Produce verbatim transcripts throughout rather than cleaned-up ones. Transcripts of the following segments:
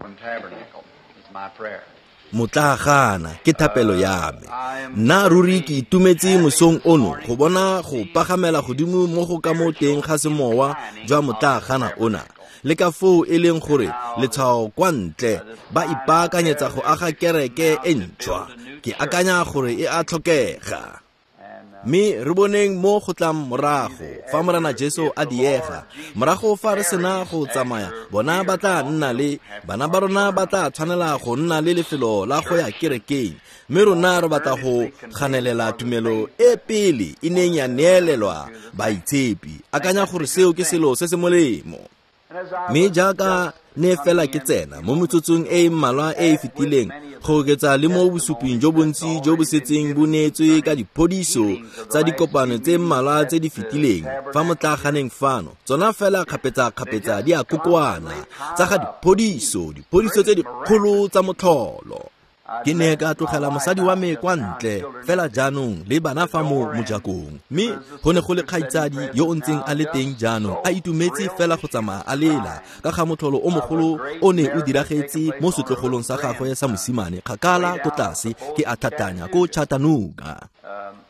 Tabernacle is my prayer. Motlaagana ke thapelo ya me. Nna ruri ke itumetse mosong ono go bona go pagamela godimo mo go ka mo teng ga semowa jwa motlaagana ona. Le ka foo e leng gore letshwao kwa ntle ba ipaakanyetsa go aga kereke e ntšhwa. Ke akanya gore e a tlhokega. Mme re boneng mo go tlang morago fa Morena Jesu a diega, morago fa re sena go tsamaya, bona ba tla nna le bana ba rona ba tla tshwanela go nna le lefelo la go ya kerekeng. Mme rona re batla go ganelela tumelo e pele e neng ya neelelwa baitshepi. Akanya gore seo ke selo se se molemo. Mme jaaka ne fela ke tsena mo metsotsong e e mmalwa e e fetileng, go oketsa le mo bosuping jo bontsi jo bo setseng bo neetswe ka diphodiso tsa dikopano tse mmalwa tse di fetileng fa motlaaganeng fano, tsona fela kgapetsa-kgapetsa di a kokoana tsa ga diphodiso, diphodiso tse dikgolo tsa motlholo. Ke ne ka tlogela mosadi wa me kwa ntle fela jaanong le bana fa mo mojakong, mme go ne go le kgaitsadi yo o ntseng a le teng jaanong a itumetse fela go tsamaya a lela ka ga motlholo o mogolo o ne o diragetse mo setlogolong sa gagwe sa mosimane kgakala ko tlase ke a tlhatlhanya ko Chattanooga.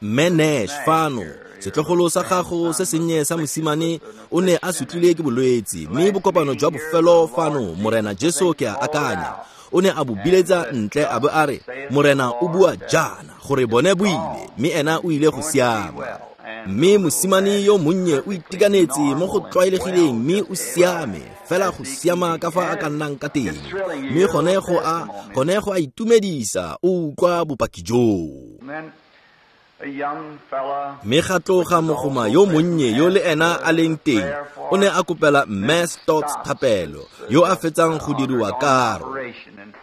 Mme Nash fano, setlogolo sa gago se sennye sa mosimane o ne a sutlile ke bolwetse, mme bokopano jwa bofelo fano Morena Jesu ke a akanya o ne a bo biletsa ntle a bo a re Morena o bua jaana gore bone bo ile, mme ena o ile go siama. Mme mosimane yo monnye o itekanetse mo go tlwaelegileng mme o siame fela go siama ka fa a ka nnang ka teng, mme gone go a gone go a itumedisa o utlwa bopaki joo. Mme ga tloga mogoma yo monnye yo le ena a leng teng o ne a kopela Mme Stotts thapelo yo a fetsang go diriwa karo.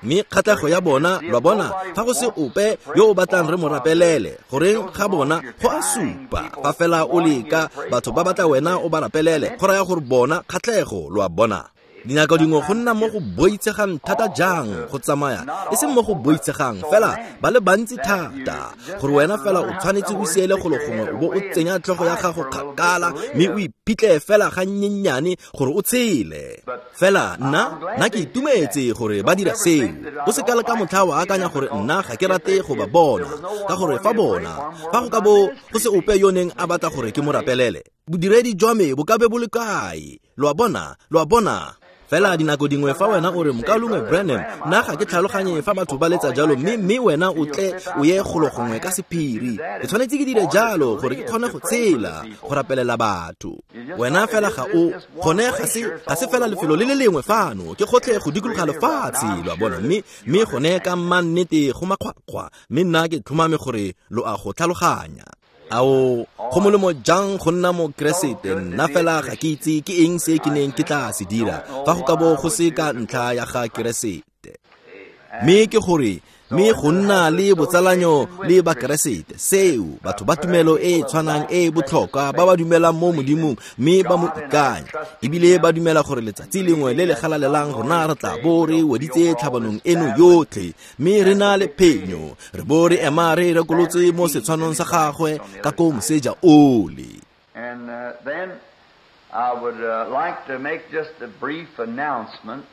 Mme kgatlhego ya bona, lwa bona, fa go se ope yo o batlang re mo rapelele, goreng ga bona go a supa fa fela o leka batho ba batla wena o ba rapelele, go raya gore bona kgatlhego, lo a bona. Dinako dingwe go nna mo go boitshegang thata jang go tsamaya, e seng mo go boitshegang fela ba le bantsi thata gore wena fela o tshwanetse o siele golo gongwe o bo o tsenya tlhogo ya gago kgakala mme o iphitlhe fela ga nnyennyane gore o tshele. Fela nna nna ke itumetse gore ba dira seo. O se ka le ka motlha wa akanya gore nna ga ke rate go ba bona, ka gore fa bona fa go ka bo go se ope yo neng a batla gore ke mo rapelele, bodiredi jwa me bo ka be bo le kae? Lo a bona, lo a bona. Fela dinako dingwe fa wena o re mokaulengwe Branham, nna ga ke tlhaloganye fa batho ba letsa jalo, mme mme wena o tle o ye golo gongwe ka sephiri. Ke tshwanetse ke dire jalo gore ke kgone go tshela go rapelela batho. Wena fela ga o gone ga se ga se fela lefelo le le lengwe fano, ke gotlhe go dikologa lefatshe, lo a bona. Mme mme gone ka mannete go makgwakgwa, mme nna ke tlhomame gore lo a go tlhaloganya. Ao, go molemo jang go nna mokeresete, nna fela ga ke itse ke eng se ke neng ke tla se dira fa go ka bo go se ka ntlha ya ga Keresete. Mme ke gore mme go nna le botsalanyo le bakeresete, seo batho ba tumelo e e tshwanang e e botlhokwa ba ba dumelang mo Modimong mme ba mo ikanya, ebile ba dumela gore letsatsi lengwe le le galalelang rona re tla bo re weditse tlhabanong eno yotlhe, mme re na le phenyo, re bo re ema re rekolotse mo setshwanong sa gagwe ka ko moseja ole. And uh, then I would uh, like to make just a brief announcement.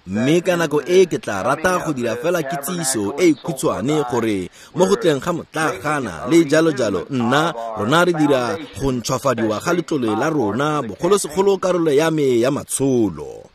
Mme ka nako e ke tla rata go dira fela kitsiso e e khutshwane gore mo go tleng ga motlaagana le jalo jalo, nna rona re dira go ntšhwafadiwa ga letlole la rona, bogolosegolo karolo ya me ya matsholo.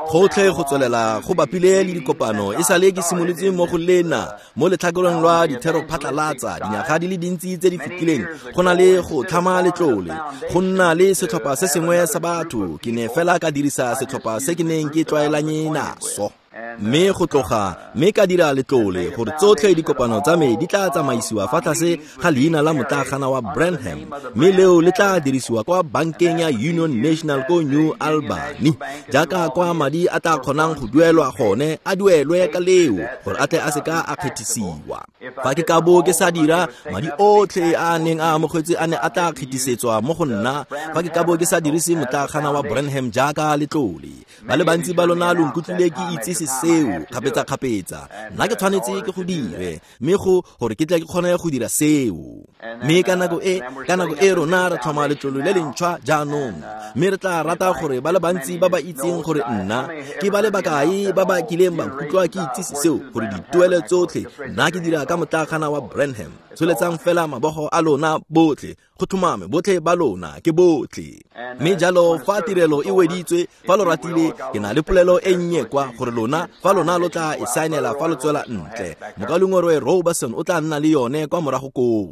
Gotlhe go tswelela go bapile le dikopano e sale ke simolotse mo go lena mo letlhakoreng lwa dithero phatlalatsa dinyaga di le dintsi tse di fetileng, go na le go tlhama letlole, go nna le setlhopha se sengwe sa batho. Ke ne fela ka dirisa setlhopha se ke neng ke tlwaelanye naso, mme go tloga mme ka dira letlole gore tsotlhe dikopano tsa me di tla tsamaisiwa fa tlase ga leina la motlaagana wa Branham, mme leo le tla dirisiwa kwa bankeng ya Union National ko New Albany, jaaka kwa madi a tla kgonang go duelwa gone a duelwe ka leo gore a tle a seka a kgethisiwa. Fa ke ka bo ke sa dira, madi otlhe a neng a amogetswe a ne a tla kgethisetswa mo go nna fa ke ka bo ke sa dirise motlaagana wa Branham jaaka letlole. Ba le bantsi ba lona lo nkutlwile ke itsise itsise seo kgapetsa-kgapetsa. Nna ke tshwanetse ke go dire, mme go gore ke tle ke kgone go dira seo. Mme ka nako e, ka nako e rona re tlhoma letlole le lentšhwa jaanong, mme re tla rata gore ba le bantsi ba ba itseng gore nna ke ba le bakae ba ba kileng ba nkutlwa ke itsise seo, gore dituelo tsotlhe nna ke dira ka motlakgana wa Branham. Tsholetsang fela mabogo a lona botlhe, go tlhomame botlhe ba lona ke botlhe. Mme jalo fa tirelo e weditswe, fa lo ratile, ke na le polelo e nnye kwa gore lona fa lona lo tla e saenela fa lo tswela ntle. Mokaulengwe Robertson o tla nna le yone kwa morago koo.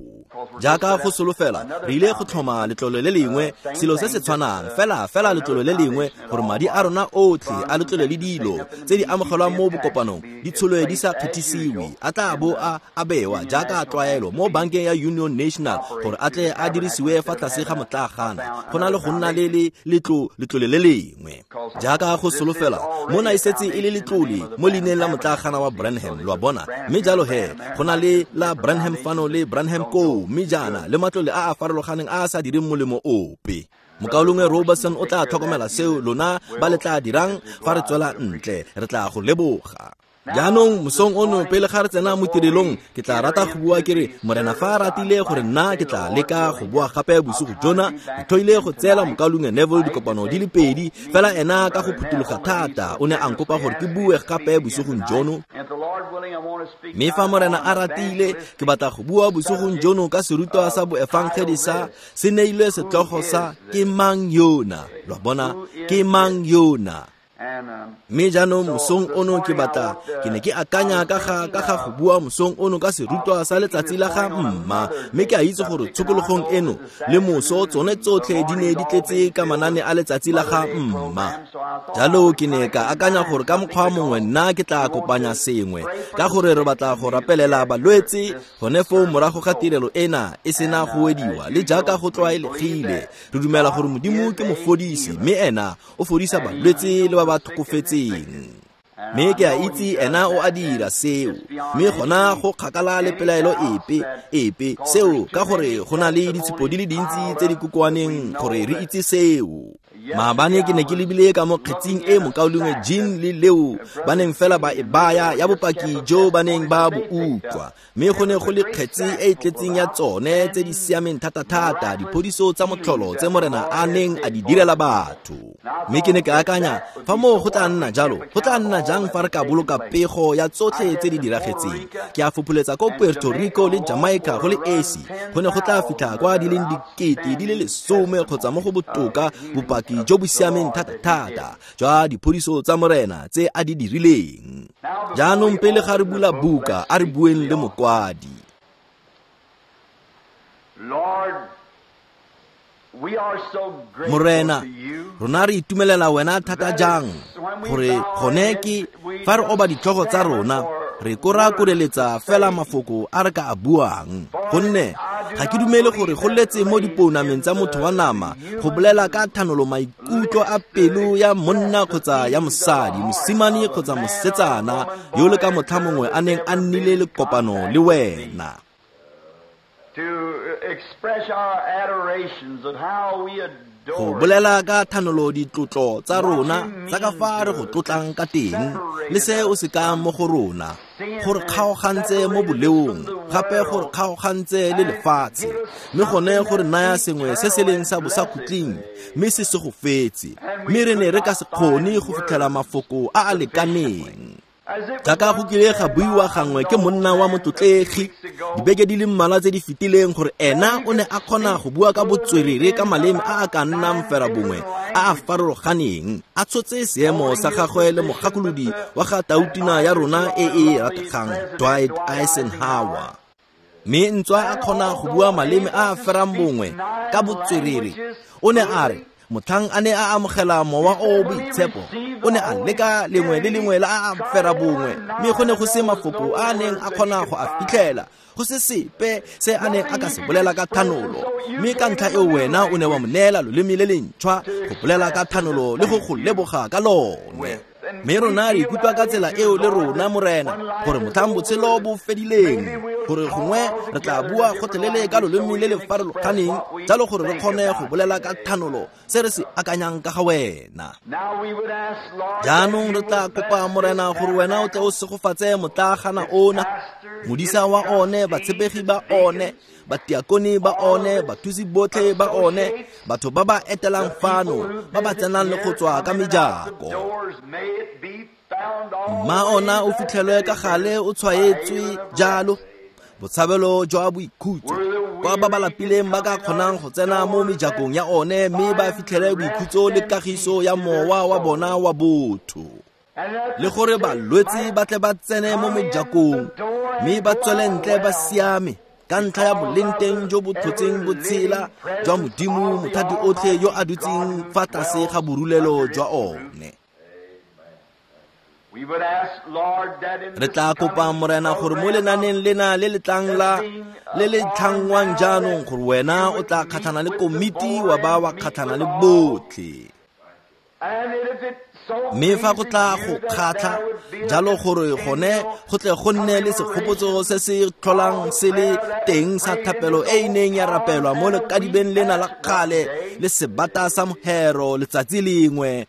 Jaaka go solofela, re ile go tlhoma letlole le lengwe, selo se se tshwanang fela fela letlole le lengwe, gore madi a rona otlhe a letlole le dilo tse di amogelwang mo bokopanong di tsholwe di sa kgethisiwe, a tla bo a abewa jaaka tlwaelo mo bankeng ya Union National gore a tle a dirisiwe fa tlase ga motlakgana, go na le go nna le le letlo letlole le lengwe. Jaaka go solofela, mona e setse e le letlole mo leineng la motlakgana wa Branham, lo a bona. Mme jalo he, go na le la Branham fano le Branham koo, mme jaana le matlole a a farologaneng a a sa direng molemo ope. Mokaulengwe Robertson o tla tlhokomela seo lona ba le tla dirang fa re tswela ntle, re tla go leboga. Jaanong mosong ono pele ga re tsena mo tirelong, ke tla rata go bua ke re Morena fa a ratile gore nna ke tla leka go bua gape bosigo jona. Ke tlhoile go tseela mokaulengwe Neville dikopano di le pedi, fela ena ka go phuthuloga thata o ne a nkopa gore ke bue gape bosigong jono. Mme fa Morena a ratile, ke batla go bua bosigong jono ka serutwa sa boefangedi sa se neilwe setlhogo sa Ke Mang Yona. Lo a bona, ke mang yona? Mme jaanong mosong ono ke batla, ke ne ke akanya ka ga ka ga go bua mosong ono ka serutwa sa letsatsi la ga mma, mme ke a itse gore tshokologong eno le moso tsone tsotlhe di ne di tletse ka manane a letsatsi la ga mma. Jalo ke ne ka akanya gore ka mokgwa mongwe nna ke tla kopanya sengwe, ka gore re batla go rapelela balwetse gone foo morago ga tirelo ena e sena go wediwa, le jaaka go tlwaelegile. Re dumela gore Modimo ke mofodisi, mme ena o fodisa balwetse le ba ba tlhokofetseng. Mme ke a itse ena o a dira seo, mme gona go kgakala le pelaelo epe epe seo, ka gore go na le ditshupo di le dintsi tse di kokoaneng gore re itse seo. Maabane ke ne ke lebile ka mo kgetsing e mokaulengwe Jean le Leo ba neng fela ba e baya ya bopaki jo ba neng ba bo utlwa, mme go ne go le kgetsi e e tletseng ya tsone tse di siameng thata-thata, diphodiso tsa motlholo tse Morena a neng a di direla batho. Mme ke ne ke akanya, fa moo go tla nna jalo, go tla nna jang fa re ka boloka pego ya tsotlhe tse di diragetseng? Ke a fopholetsa ko Puerto Rico le Jamaica go le esi, go ne go tla fitlha kwa di leng dikete di le lesome kgotsa mo go botoka bopaki jo bo siameng thata-thata jwa diphodiso tsa Morena tse a di dirileng. Jaanong pele ga re bula buka, a re bueng le mokwadi. Morena, rona re itumelela wena thata jang, gore gone ke fa re oba ditlhogo tsa rona, re korakoreletsa fela mafoko a re ka a buang, gonne ga ke dumele gore go letse mo dipounameng tsa motho wa nama go bolela ka thanolo maikutlo a pelo ya monna kgotsa ya mosadi, mosimane kgotsa mosetsana yo le ka motlha mongwe a neng a nnile le kopano le wena. Go bolela ka thanolo ditlotlo tsa rona tsa ka fa re go tlotlang ka teng, le se o se kang mo go rona, gore kgaogantse mo boleong, gape gore kgaogantse le lefatshe, mme gone gore naya sengwe se se leng sa bosakhutleng, mme se se go fetse, mme re ne re ka se kgone go fitlhela mafoko a a lekaneng. Jaaka go kile ga buiwa gangwe ke monna wa motlotlegi dibeke di le mmalwa tse di fetileng, gore ena o ne a kgona go bua ka botswerere ka maleme a a ka nnang fera bongwe a a farologaneng, a tshotse seemo sa gagwe le mogakolodi wa ga tautina ya rona e e rategang Dwight Eisenhower. Mme ntswa a kgona go bua maleme a a ferang bongwe ka botswerere, o ne a re motlhang a ne a amogela mowa o boitshepo, o ne a leka lengwe le lengwe la a fera bongwe, mme go ne go se mafoko a a neng a kgona go a fitlhela, go se sepe se a neng a ka se bolela ka thanolo. Mme ka ntlha eo wena o ne wa mo neela loleme le lentšhwa go bolela ka thanolo le go go leboga ka lone. Mme rona re ikutlwa ka tsela eo le rona Morena, gore motlhang botshelo bo fedileng, gore gongwe re tla bua gotlhelele ka loleme le le farologaneng, jalo gore re kgone go bolela ka thanolo se re se akanyang ka ga wena. Jaanong re tla kopa Morena gore wena o tle o segofatse motlaagana ona, modisa wa one, batshepegi ba one, batiakone ba one, bathusi botlhe ba one, batho ba ba etelang fano, ba ba tsenang le go tswa ka mejako. Mma ona o fitlhelwe ka gale o tshwaetswe jalo, botshabelo jwa boikhutso, kwa ba ba lapileng ba ka kgonang go tsena mo mejakong ya one mme ba fitlhele boikhutso le kagiso ya mowa wa bona wa botho. Le gore balwetse ba tle ba tsene mo mejakong mme ba tswele ntle ba siame ka ntlha ya boleng teng jo bo tlhotseng botshela jwa Modimo mothati otlhe yo a dutseng fa tlase ga borulelo jwa one. Re tla kopa Morena gore mo lenaneng lena le le tlang la le le tlhangwang jaanong gore wena o tla kgatlhana le komiti wa ba wa kgatlhana le botlhe. Mme fa go tla go kgatlha jalo gore gone go tle go nne le segopotso se se tlholang se le teng sa thapelo e e neng ya rapelwa mo lekadibeng lena la kgale le sebata sa mohero letsatsi lengwe,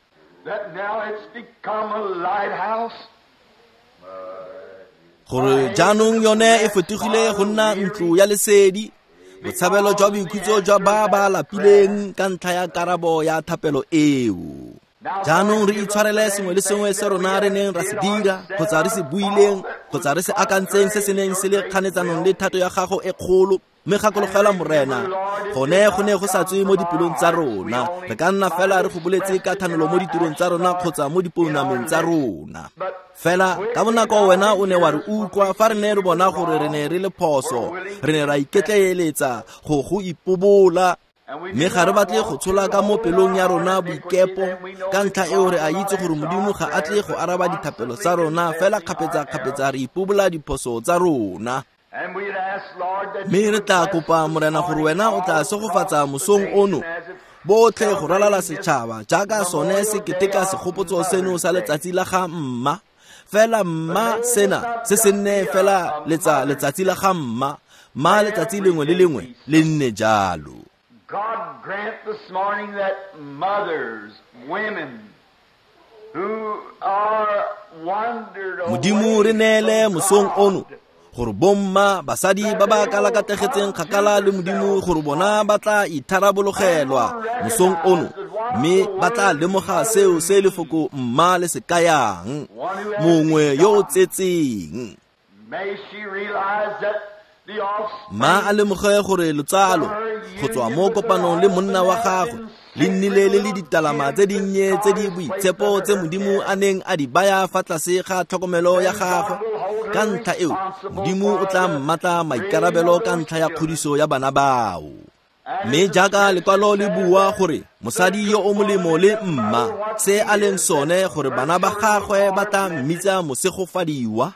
gore jaanong yone e fetogile go nna ntlo ya lesedi, botshabelo jwa boikhutso jwa ba ba lapileng ka ntlha ya karabo ya thapelo eo. Jaanong re itshwarele sengwe le sengwe se rona re neng ra se dira kgotsa re se buileng kgotsa re se akantseng se se neng se le kganetsanong le thato ya gago e kgolo. Mme gakologelwa Morena, gone go ne go sa tswe mo dipelong tsa rona, re ka nna fela re go boletse ka thanolo mo ditirong tsa rona kgotsa mo dipounameng tsa rona. Fela ka bonako wena o ne wa re utlwa fa re ne re bona gore re ne re le phoso, re ne ra iketleeletsa go go ipobola. Mme ga re batle go tshola ka mo pelong ya rona boikepo, ka ntlha eo re a itse gore Modimo ga a tle go araba dithapelo tsa rona, fela kgapetsa-kgapetsa re ipobola diphoso tsa rona. Mme re tla kopa Morena gore wena o tla segofatsa mosong ono botlhe go ralala setšhaba jaaka sone se keteka segopotso seno sa letsatsi la ga mma. Fela mma sena se se nne fela letsa letsatsi la ga mma, mma letsatsi lengwe le lengwe le nne jalo. God grant this morning that mothers, women who are wandered away Modimo re neele mosong ono gore bomma basadi ba ba kalakategetseng kgakala le Modimo gore bona ba tla itharabologelwa mosong ono, mme ba tla lemoga seo se lefoko mma le se kayang, mongwe yo o tsetseng. Ma a lemoge gore lotsalo go tswa mo kopanong le monna wa gagwe le nnile le le ditalama tse dinnye tse di boitshepo tse Modimo a neng a di baya fa tlase ga tlhokomelo ya gagwe. Ka ntlha eo Modimo o tla mmatla maikarabelo ka ntlha ya kgodiso ya bana bao. Mme jaaka lekwalo le bua gore mosadi yo o molemo le mma se a leng sone gore bana ba gagwe ba tla mmitsa mosegofadiwa.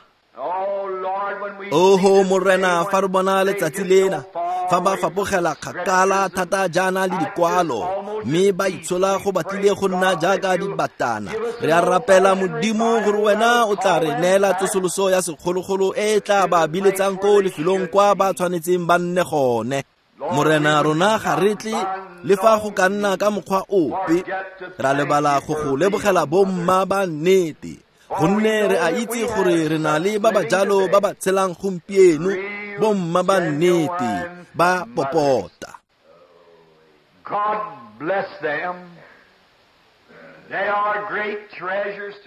Oho Morena, fa re bona letsatsi lena fa ba fapogela kgakala thata jaana le dikwalo mme ba itshola go batlile go nna jaaka dibatana, re a rapela Modimo gore wena o tla re neela tsosoloso ya sekgologolo e e tla ba biletsang ko lefelong kwa ba tshwanetseng ba nne gone. Morena, rona ga re tle le fa go ka nna ka mokgwa ope ra lebala go go lebogela bomma ba nnete, gonne re a itse gore re na le ba ba jalo ba ba tshelang gompieno, bomma ba nnete ba popota.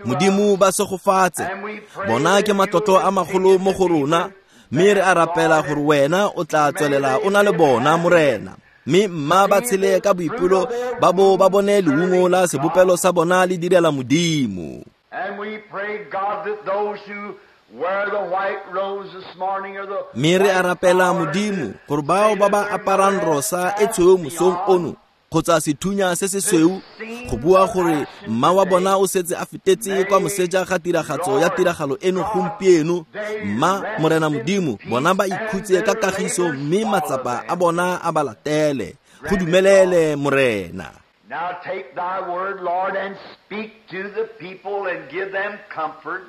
Modimo ba segofatse, bona ke matlotlo a magolo mo go rona, mme re a rapela gore wena o tla tswelela o na le bona Morena. Mme mma ba tshele ka boipelo ba bo ba bone leungo la sebopelo sa bona le direla Modimo. Mme re a rapela Modimo gore bao ba ba aparang rosa e tshweu mosong ono kgotsa sethunya se se sweu go bua gore mma wa bona o setse a fetetse kwa moseja ga tiragatso ya tiragalo eno gompieno, mma Morena Modimo bona ba ikhutse ka kagiso mme matsapa a bona a ba latele. Go dumelele Morena. Now take thy word, Lord, and speak to the people and give them comfort.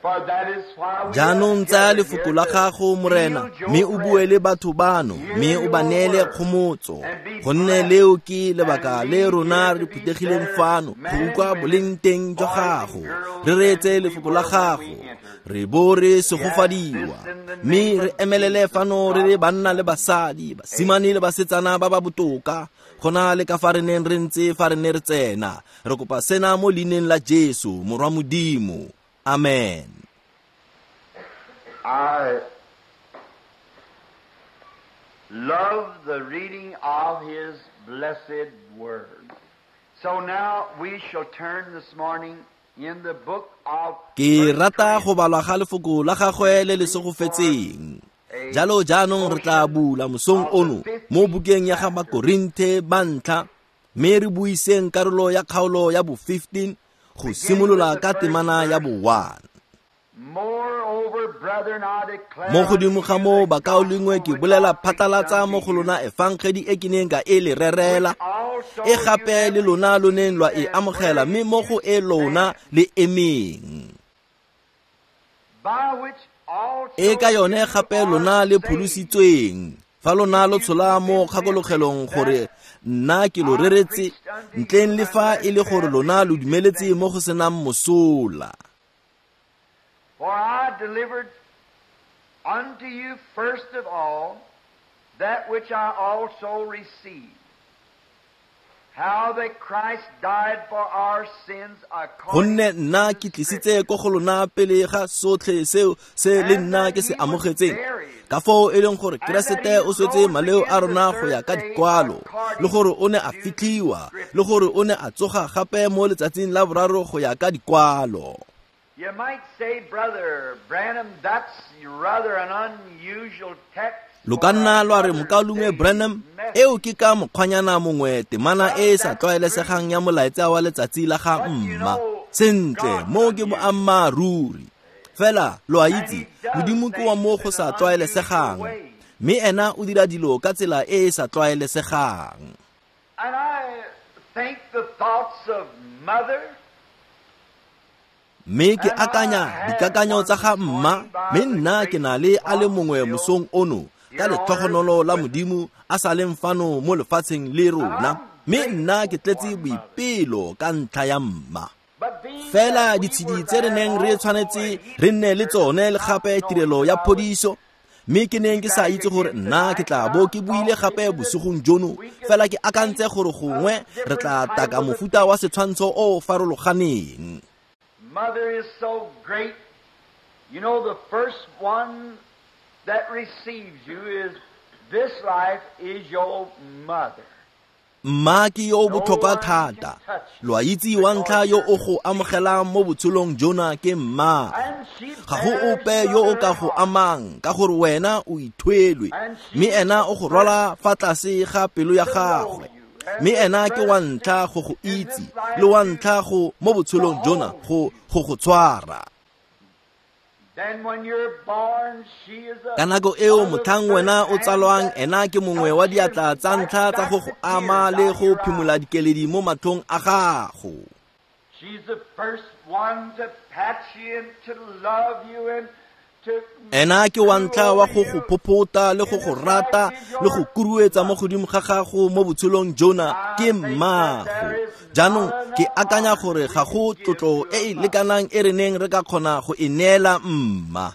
Jaanong tsaya lefoko la gago, Morena, mme o bue le batho bano, mme o ba neele kgomotso, gonne leo ke lebaka le rona re phuthegileng fano go utlwa boleng teng jwa gago, re reetse lefoko la gago, re bo re segofadiwa, mme re emelele fano re le banna le basadi, basimane le basetsana ba ba botoka, gona le ka fa re neng re ntse fa re ne re tsena. Re kopa sena mo leineng la Jesu, Morwa Modimo. Amen. I love the reading of His blessed word. So now we shall turn this morning in the book of Ke rata go balwa ga lefoko la gagwe le le segofetseng. Jalo jaanong re tla bula mosong ono mo bukeng ya ga Bakorinthe ba ntlha, mme re buiseng karolo ya kgaolo ya bo fifteen go simolola ka temana ya bo one. Mo godimo ga moo, bakaulengwe, ke bolela phatlalatsa mo go lona efangedi e ke neng ka e le rerela, e gape le lona lo neng lwa e amogela, mme mo go e lona le emeng. E ka yone gape lona le pholositsweng, fa lona lo tshola mo kgakologelong gore nna ke lo reretse, ntleng le fa e le gore lona lo dumeletse mo go senang mosola. For I delivered unto you first of all that which I also received, how that Christ died for our sins according Gonne nna ke tlisitse ko go lona pele ga sotlhe seo se le nna ke se amogetseng, ka foo e leng gore Keresete o swetse maleo a rona go ya ka dikwalo, le gore o ne a fitlhiwa, le gore o ne a tsoga gape mo letsatsing la boraro go ya ka dikwalo. You might say, Brother Branham, that's rather an unusual text. Lo ka nna lwa re, mokaulengwe Branham, eo ke ka mokgwanyana mongwe temana e e sa tlwaelesegang ya molaetsa wa letsatsi la ga mma. Sentle, mo ke boammaaruri. Fela, lo a itse, Modimo ke wa mo go sa tlwaelesegang, mme ena o dira dilo ka tsela e e sa tlwaelesegang. And I think the thoughts of mother. Mme ke akanya dikakanyo tsa ga mma, mme nna ke na le a le mongwe mosong ono ka letlhogonolo la Modimo a sa leng fano mo lefatsheng le rona, mme nna ke tletse boipelo ka ntlha ya mma. Fela ditshedi tse re neng re tshwanetse re nne le tsone le gape tirelo ya phodiso, mme ke neng ke sa itse gore nna ke tla bo ke buile gape bosigong jono, fela ke akantse gore gongwe re tla taka mofuta wa setshwantsho o o farologaneng. Mother is so great. You know, the first one that receives you is this life is your mother. Mma ke yo o botlhokwa thata. Lo a itse wa ntlha yo o go amogelang mo botshelong jona ke mma. Ga go ope yo o ka go amang ka gore wena o ithwelwe, mme ena o go rwala fa tlase ga pelo ya gagwe. Mme ena ke wa ntlha go go itse, le wa ntlha go mo botshelong jona go go go tshwara. Ka nako eo motlhang wena o tsalwang, ena ke mongwe wa diatla tsa ntlha tsa go go ama le go phimola dikeledi mo matlhong a gago. Ena ke wa ntlha wa go go phophota le go go rata le go kuruetsa mo godimo ga gago mo botshelong jona ke mmago. Jaanong ke akanya gore ga go tlotlo e e lekanang e re neng re ka kgona go e neela mma.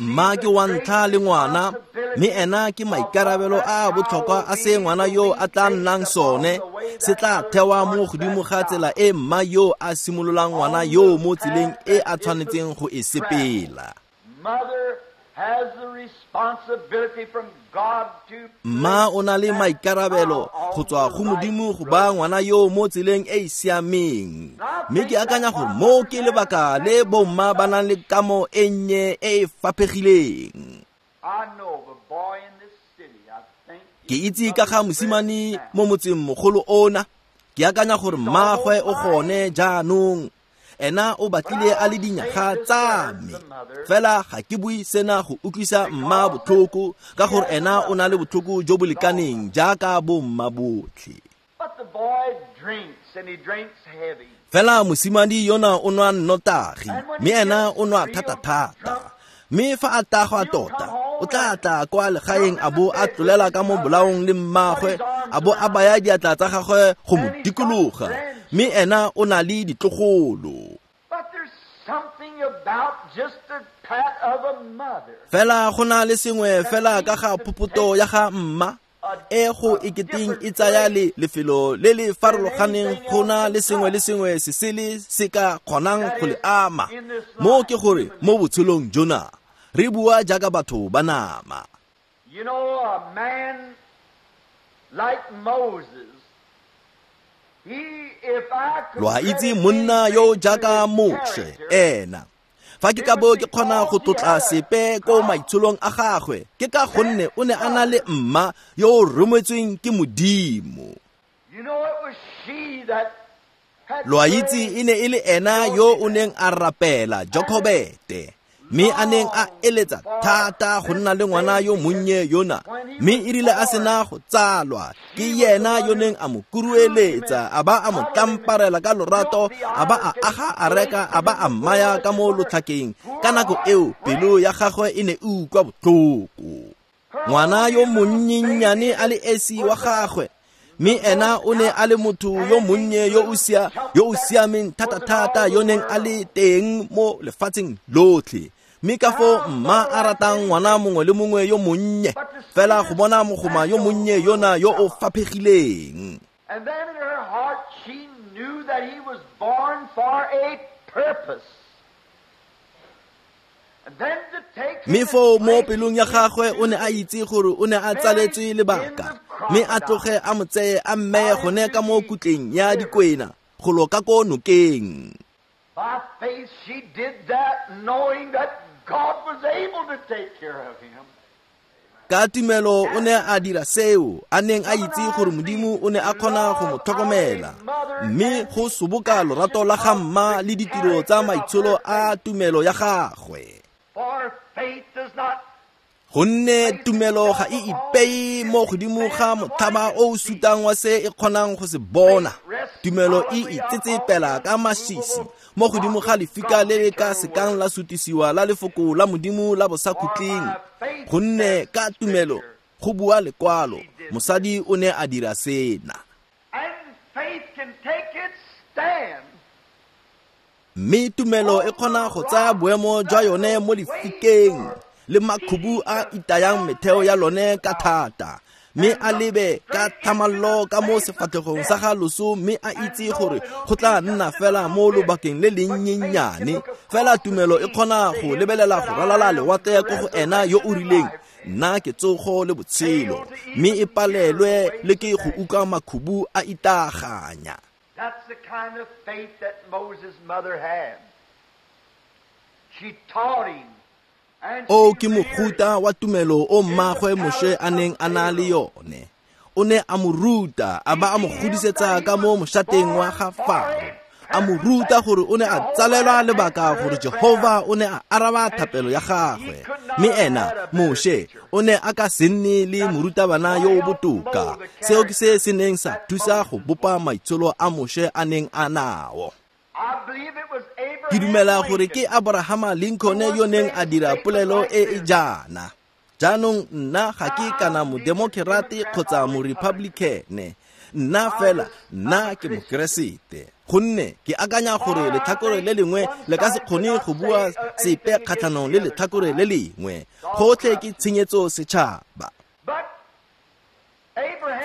Mma ke wa ntlha le ngwana, mme ena ke maikarabelo a a botlhokwa a se ngwana yo a tla nnang sone, se tla thewa mo godimo ga tsela e mma yo a simololang ngwana yo mo tseleng e a tshwanetseng go e sepela. Mma o na le maikarabelo go tswa go Modimo go ba ngwana yo mo tseleng e e siameng. Mme ke akanya gore mo ke lebaka le bomma ba nang le kamo e nnye e e faphegileng. Ke itse ka ga mosimane mo motseng mogolo ona, ke akanya gore mmaagwe o gone jaanong. Ena o batlile a le dinyaga tsa me. Fela ga ke bue sena go utlwisa mma botlhoko, ka gore ena o na le botlhoko jo bo lekaneng jaaka bo mma botlhe. Fela mosimane yona o nwa nnotagi, mme ena o nwa thata-thata. Mme fa a tagwa tota, o tla tla kwa legaeng a bo a tlolela ka mo bolaong le mmagwe, a bo a baya diatla tsa gagwe go mo dikologa, mme ena o na le ditlogolo. Fela go na le sengwe fela ka ga phopoto ya ga mma, e go eketeng e tsaya le lefelo le le farologaneng go na le sengwe le sengwe se sele se ka kgonang go le ama. Mo ke gore mo botshelong jona re bua jaaka batho ba nama. You know, a man like Moses, he, if I could Lo a itse monna yo jaaka Moshe, ena fa ke ka bo ke kgona go tlotla sepe ko maitsholong a gagwe, ke ka gonne o ne a na le mma yo o rometsweng ke Modimo. You know, it was she that had Lo a itse e ne e le ena yo o neng a rapela Jokobete, mme a neng a eletsa thata go nna le ngwana yo monnye yona, mme e rile a sena go tsalwa, ke yena yo neng a mo kurueletsa, a ba a mo tlamparela ka lorato, a ba a aga areka, a ba a mmaya ka mo lotlhakeng. Ka nako eo pelo ya gagwe e ne e utlwa botlhoko. Ngwana yo monnyenyane a le esi wa gagwe, mme ena o ne a le motho yo monnye yo o sia yo o siameng thata-thata yo neng a le teng mo lefatsheng lotlhe. Mme ka foo mma a ratang ngwana mongwe le mongwe yo monnye, fela go bona mogoma yo monnye yona yo o faphegileng. And then in her heart she knew that he was born for a purpose. And then to take Mme foo mo pelong ya gagwe o ne a itse gore o ne a tsaletswe lebaka, mme a tloge a mo tseye a mmeye gone ka mo kutleng ya dikwena go lo ka ko nokeng. By faith she did that, knowing that God was able to take care of him. Ka tumelo o ne a dira seo, a neng a itse gore Modimo o ne a kgona go mo tlhokomela. Mme go soboka lorato la ga mma le ditiro tsa maitsholo a tumelo ya gagwe. For faith does not Gonne tumelo ga e ipeye mo godimo ga motlhaba o o sutang wa se e kgonang go se bona. Tumelo e itsetsepela ka masisi mo godimo ga lefika le le ka sekang la sutisiwa la lefoko la Modimo la bosakhutleng. Gonne ka tumelo go bua lekwalo, mosadi o ne a dira sena. And faith can take its stand. Mme tumelo e kgona go tsaya boemo jwa yone mo lefikeng le makhubu a itayang metheo ya lone ka thata, mme a lebe ka thamallo ka mo sefatlhegong sa ga loso, mme a itse gore go tla nna fela mo lobakeng le lennyenyane. Fela tumelo e kgona go lebelela go ralala lewatle ko go ena yo o rileng, nna ke tsogo le botshelo, mme e palelwe le ke go utlwa makhubu a itaganya. That's the kind of faith that Moses' mother had. She taught him. O ke mofuta wa tumelo o mmagwe Moshe a neng a na le yone. O ne a mo ruta, a ba a mo godisetsa ka mo moshateng wa ga Faro. A mo ruta gore o ne a tsalelwa lebaka gore Jehova o ne a araba thapelo ya gagwe. Mme ena Moshe o ne a ka se nne le morutabana yo o botoka. Seo ke se se neng sa thusa go bopa maitsholo a Moshe a neng a nao. Ke dumela gore ke Abrahama Lincoln yo neng a dira polelo e e jaana. Jaanong nna ga ke kana modemokrate kgotsa morepublicane, nna fela nna ke mokeresete. Gonne ke akanya gore letlhakore le lengwe le ka se kgone go bua sepe kgatlhanong le letlhakore le lengwe. Gotlhe ke tshenyetso setšhaba.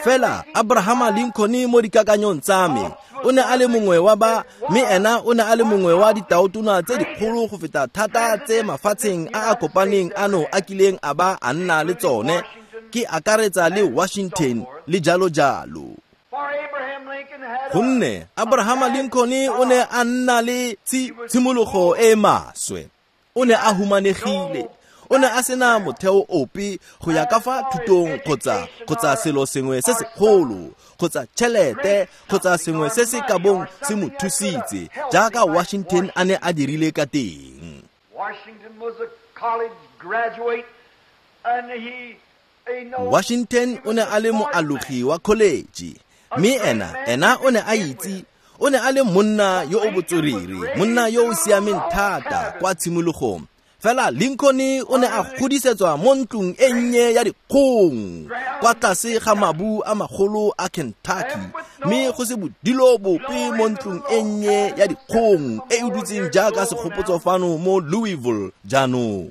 Fela Abrahama Lincoln mo dikakanyong tsa me o ne a le mongwe wa ba, mme ena o ne a le mongwe wa ditaotona tse dikgolo go feta thata tse mafatsheng a a kopaneng ano a kileng a ba a nna le tsone, ke akaretsa le Washington le jalo jalo. Gonne Abrahama Lincoln o ne a nna le tshimologo e maswe. O ne a humanegile. O O ne a sena motheo ope go ya ka fa thutong kgotsa kgotsa selo sengwe se segolo kgotsa tšhelete kgotsa sengwe se se ka bong se mo thusitse jaaka Washington a ne a dirile ka teng. Washington o ne a le moalogi wa college, mme ena ena o ne a itse o ne a le monna yo o botswerere, monna yo o siameng thata kwa tshimologong. Fela Lincoln o ne a godisetswa mo ntlong e nnye ya dikgong kwa tlase ga mabu a magolo a Kentucky, mme go se bodilo bope mo ntlong e nnye ya dikgong e e dutseng jaaka segopotso fano mo Louisville jaanong.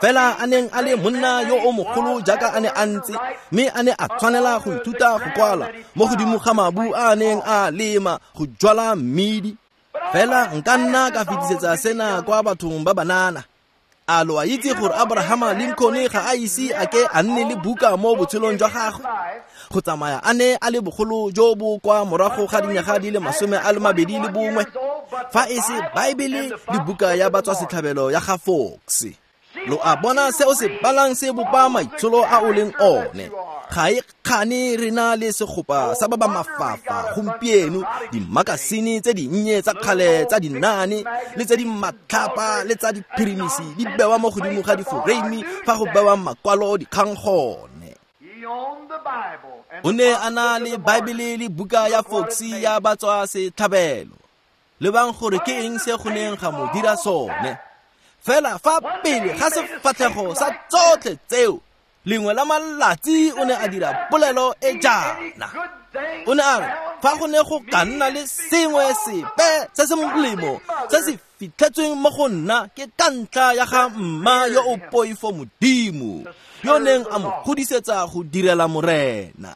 Fela a neng a le monna yo o mogolo jaaka a ne a ntse, mme a ne a tshwanela go ithuta go kwala mo godimo ga mabu a a neng a lema go jwala mmidi. Fela nka nna ka fetisetsa sena kwa bathong ba banana. A lo a itse gore Abraham Lincoln ga a ise a ke a nne le buka mo botshelong jwa gagwe, go tsamaya a ne a le bogolo jo bo kwa morago ga dinyaga di le masome a le mabedi le bongwe, fa e se Baebele le buka ya batswasetlhabelo ya ga Fox. Lo a bona se o se balang se bopa maitsholo a o leng one. Ga e kgane re na le segopa sa ba ba mafafa gompieno, dimakasine tse dinnye tsa kgale tsa dinaane le tse di matlhapa le tsa diphirimisi di bewa mo godimo ga diforeimi fa go bewa makwalo dikgang gone. O ne a na le Baebele le buka ya Fox ya batswasetlhabelo. Lebang gore ke eng se go neng ga mo dira sone. Fela fa pele ga sefatlhego sa tsotlhe tseo, lengwe la malatsi o ne a dira polelo e jaana. O ne a re fa go ne go ka nna le sengwe sepe se se molemo se se fitlhetsweng mo go nna ke ka ntlha ya ga mma yo o poifo Modimo, yo neng a mo godisetsa go direla Morena.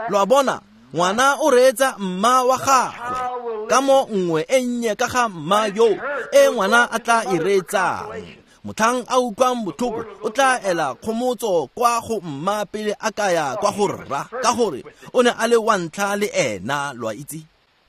Lo a bona, ngwana o reetsa mma wa gagwe ka mo nngwe e nnye ka ga mma yo e ngwana a tla e reetsang. Motlhang a utlwang botlhoko o tla ela kgomotso kwa go mma pele a ka ya kwa go rra, ka gore o ne a le wa ntlha le ena, lo a itse.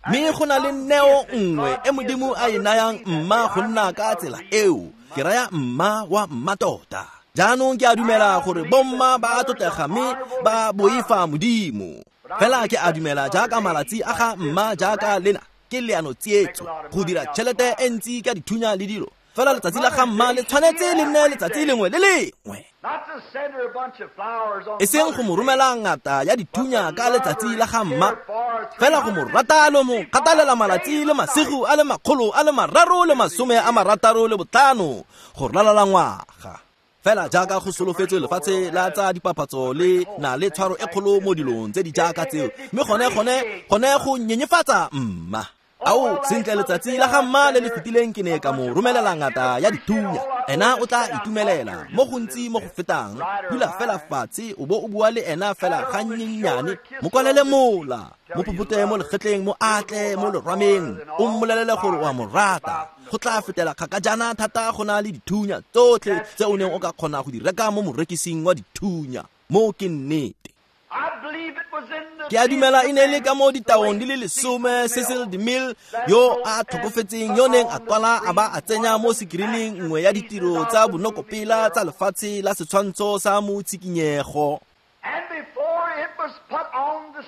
Mme go na le neo nngwe e Modimo a e nayang mma go nna ka tsela eo, ke raya mma wa mmatota. Jaanong ke a dumela gore bomma ba a tlotlega mme ba boifa Modimo. Fela ke a dumela jaaka malatsi a ga mma jaaka lena ke leano tsietso go dira tšhelete e ntsi ka dithunya le dilo. Fela letsatsi la ga mma le tshwanetse le nne letsatsi lengwe le lengwe, e seng go mo romela ngata ya dithunya ka letsatsi la ga mma, fela go mo rata le mo kgathalela malatsi le masigo a le makgolo a le mararo le masome a marataro le botlhano go ralala ngwaga. Fela jaaka go solofetswe lefatshe la tsa dipapatso le na le tshwaro e kgolo mo dilong tse di jaaka tseo, mme gone gone gone go nyenyefatsa mma. Ao, sentle letsatsi la ga mma le le fetileng ke ne ka mo romelela ngata ya dithunya. Ena o tla itumelela mo gontsi mo go fetang. Dula fela fatshe o bo o bua le ena fela gannyenyane, mo kwalele mola, mo phupute mo legetleng, mo atle mo lerwameng, o mmolelele gore o a mo rata. Go tla fetela kgakajana thata go na le dithunya tsotlhe tse o neng o ka kgona go di reka mo morekising wa dithunya. Mo ke nnete. Ke a dumela e ne le ka mo ditaong di le lesome Cecil DeMille yo a tlhokofetseng yo neng a kwala a ba a tsenya mo sekirining nngwe ya ditiro tsa bonokopela tsa lefatshe la setshwantsho sa motshikinyego.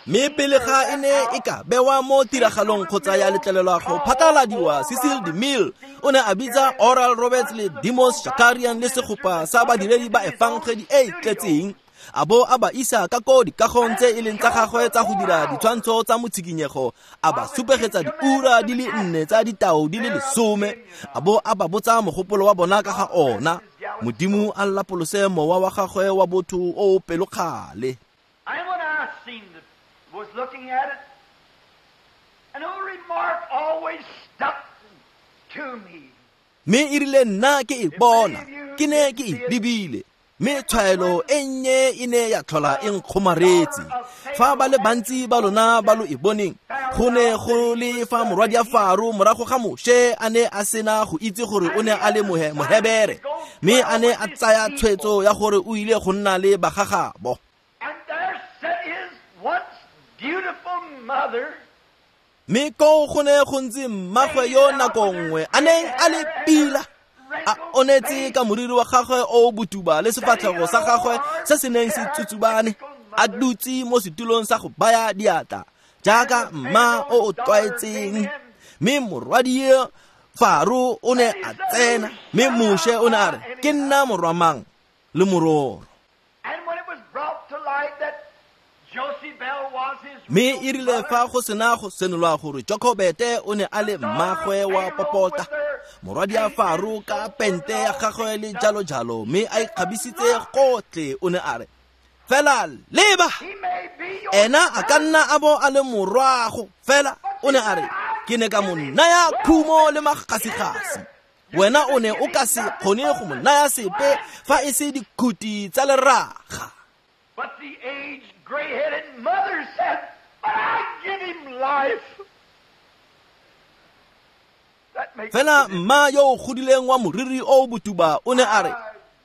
Mme pele ga e ne e ka bewa mo tiragalong kgotsa ya letlelelwa go phatlaladiwa, Cecil DeMille o ne a bitsa Oral Roberts le Demos Shakarian le segopa sa badiredi ba efangedi e e tletseng, a bo a ba isa ka ko dikagong tse e leng tsa gagwe tsa go dira ditshwantsho tsa motshikinyego, a ba supegetsa diura di le nne tsa ditao di le lesome, a bo a ba botsa mogopolo wa bona ka ga ona. Modimo a lapolose mowa wa gagwe wa botho o o pelokgale. Was looking at it, an old remark always stuck to me. Mme e rile nna ke e bona, ke ne ke e lebile, mme tshwaelo e nnye e ne ya tlhola e nkgomaretse. Fa ba le bantsi ba lona ba lo e boneng, go ne go le fa morwadi a Faro morago ga Moshe a ne a sena go itse gore o ne a le Mohebere, mme a ne a tsaya tshwetso ya gore o ile go nna le bagagabo. Beautiful mother. Mme koo go ne go ntse mmagwe yo nako nngwe a neng a le pila, a onetse ka moriri wa gagwe o botuba le sefatlhego sa gagwe se se neng se tsutsubane, a dutse mo setulong sa go baya diatla jaaka mma o o tlwaetseng. Mme morwadie Faro o ne a tsena, mme Moshe o ne a re, ke nna morwa mang le mororo. Mme e rile fa go sena go senolwa gore Jokobete o ne a le mmagwe wa popota, morwadia Faro ka pente ya gagwe le jalo jalo, mme a ikgabisitse gotlhe, o ne a re, fela leba, ena a ka nna a bo a le morwago, fela o ne a re, ke ne ka mo naya khumo le magasigasi, wena o ne o ka se kgone go mo naya sepe fa e se dikhuti tsa leraga. But the aged, gray-headed mother said, but I give him life. Fela mma yo o godileng wa moriri o botuba o ne a re,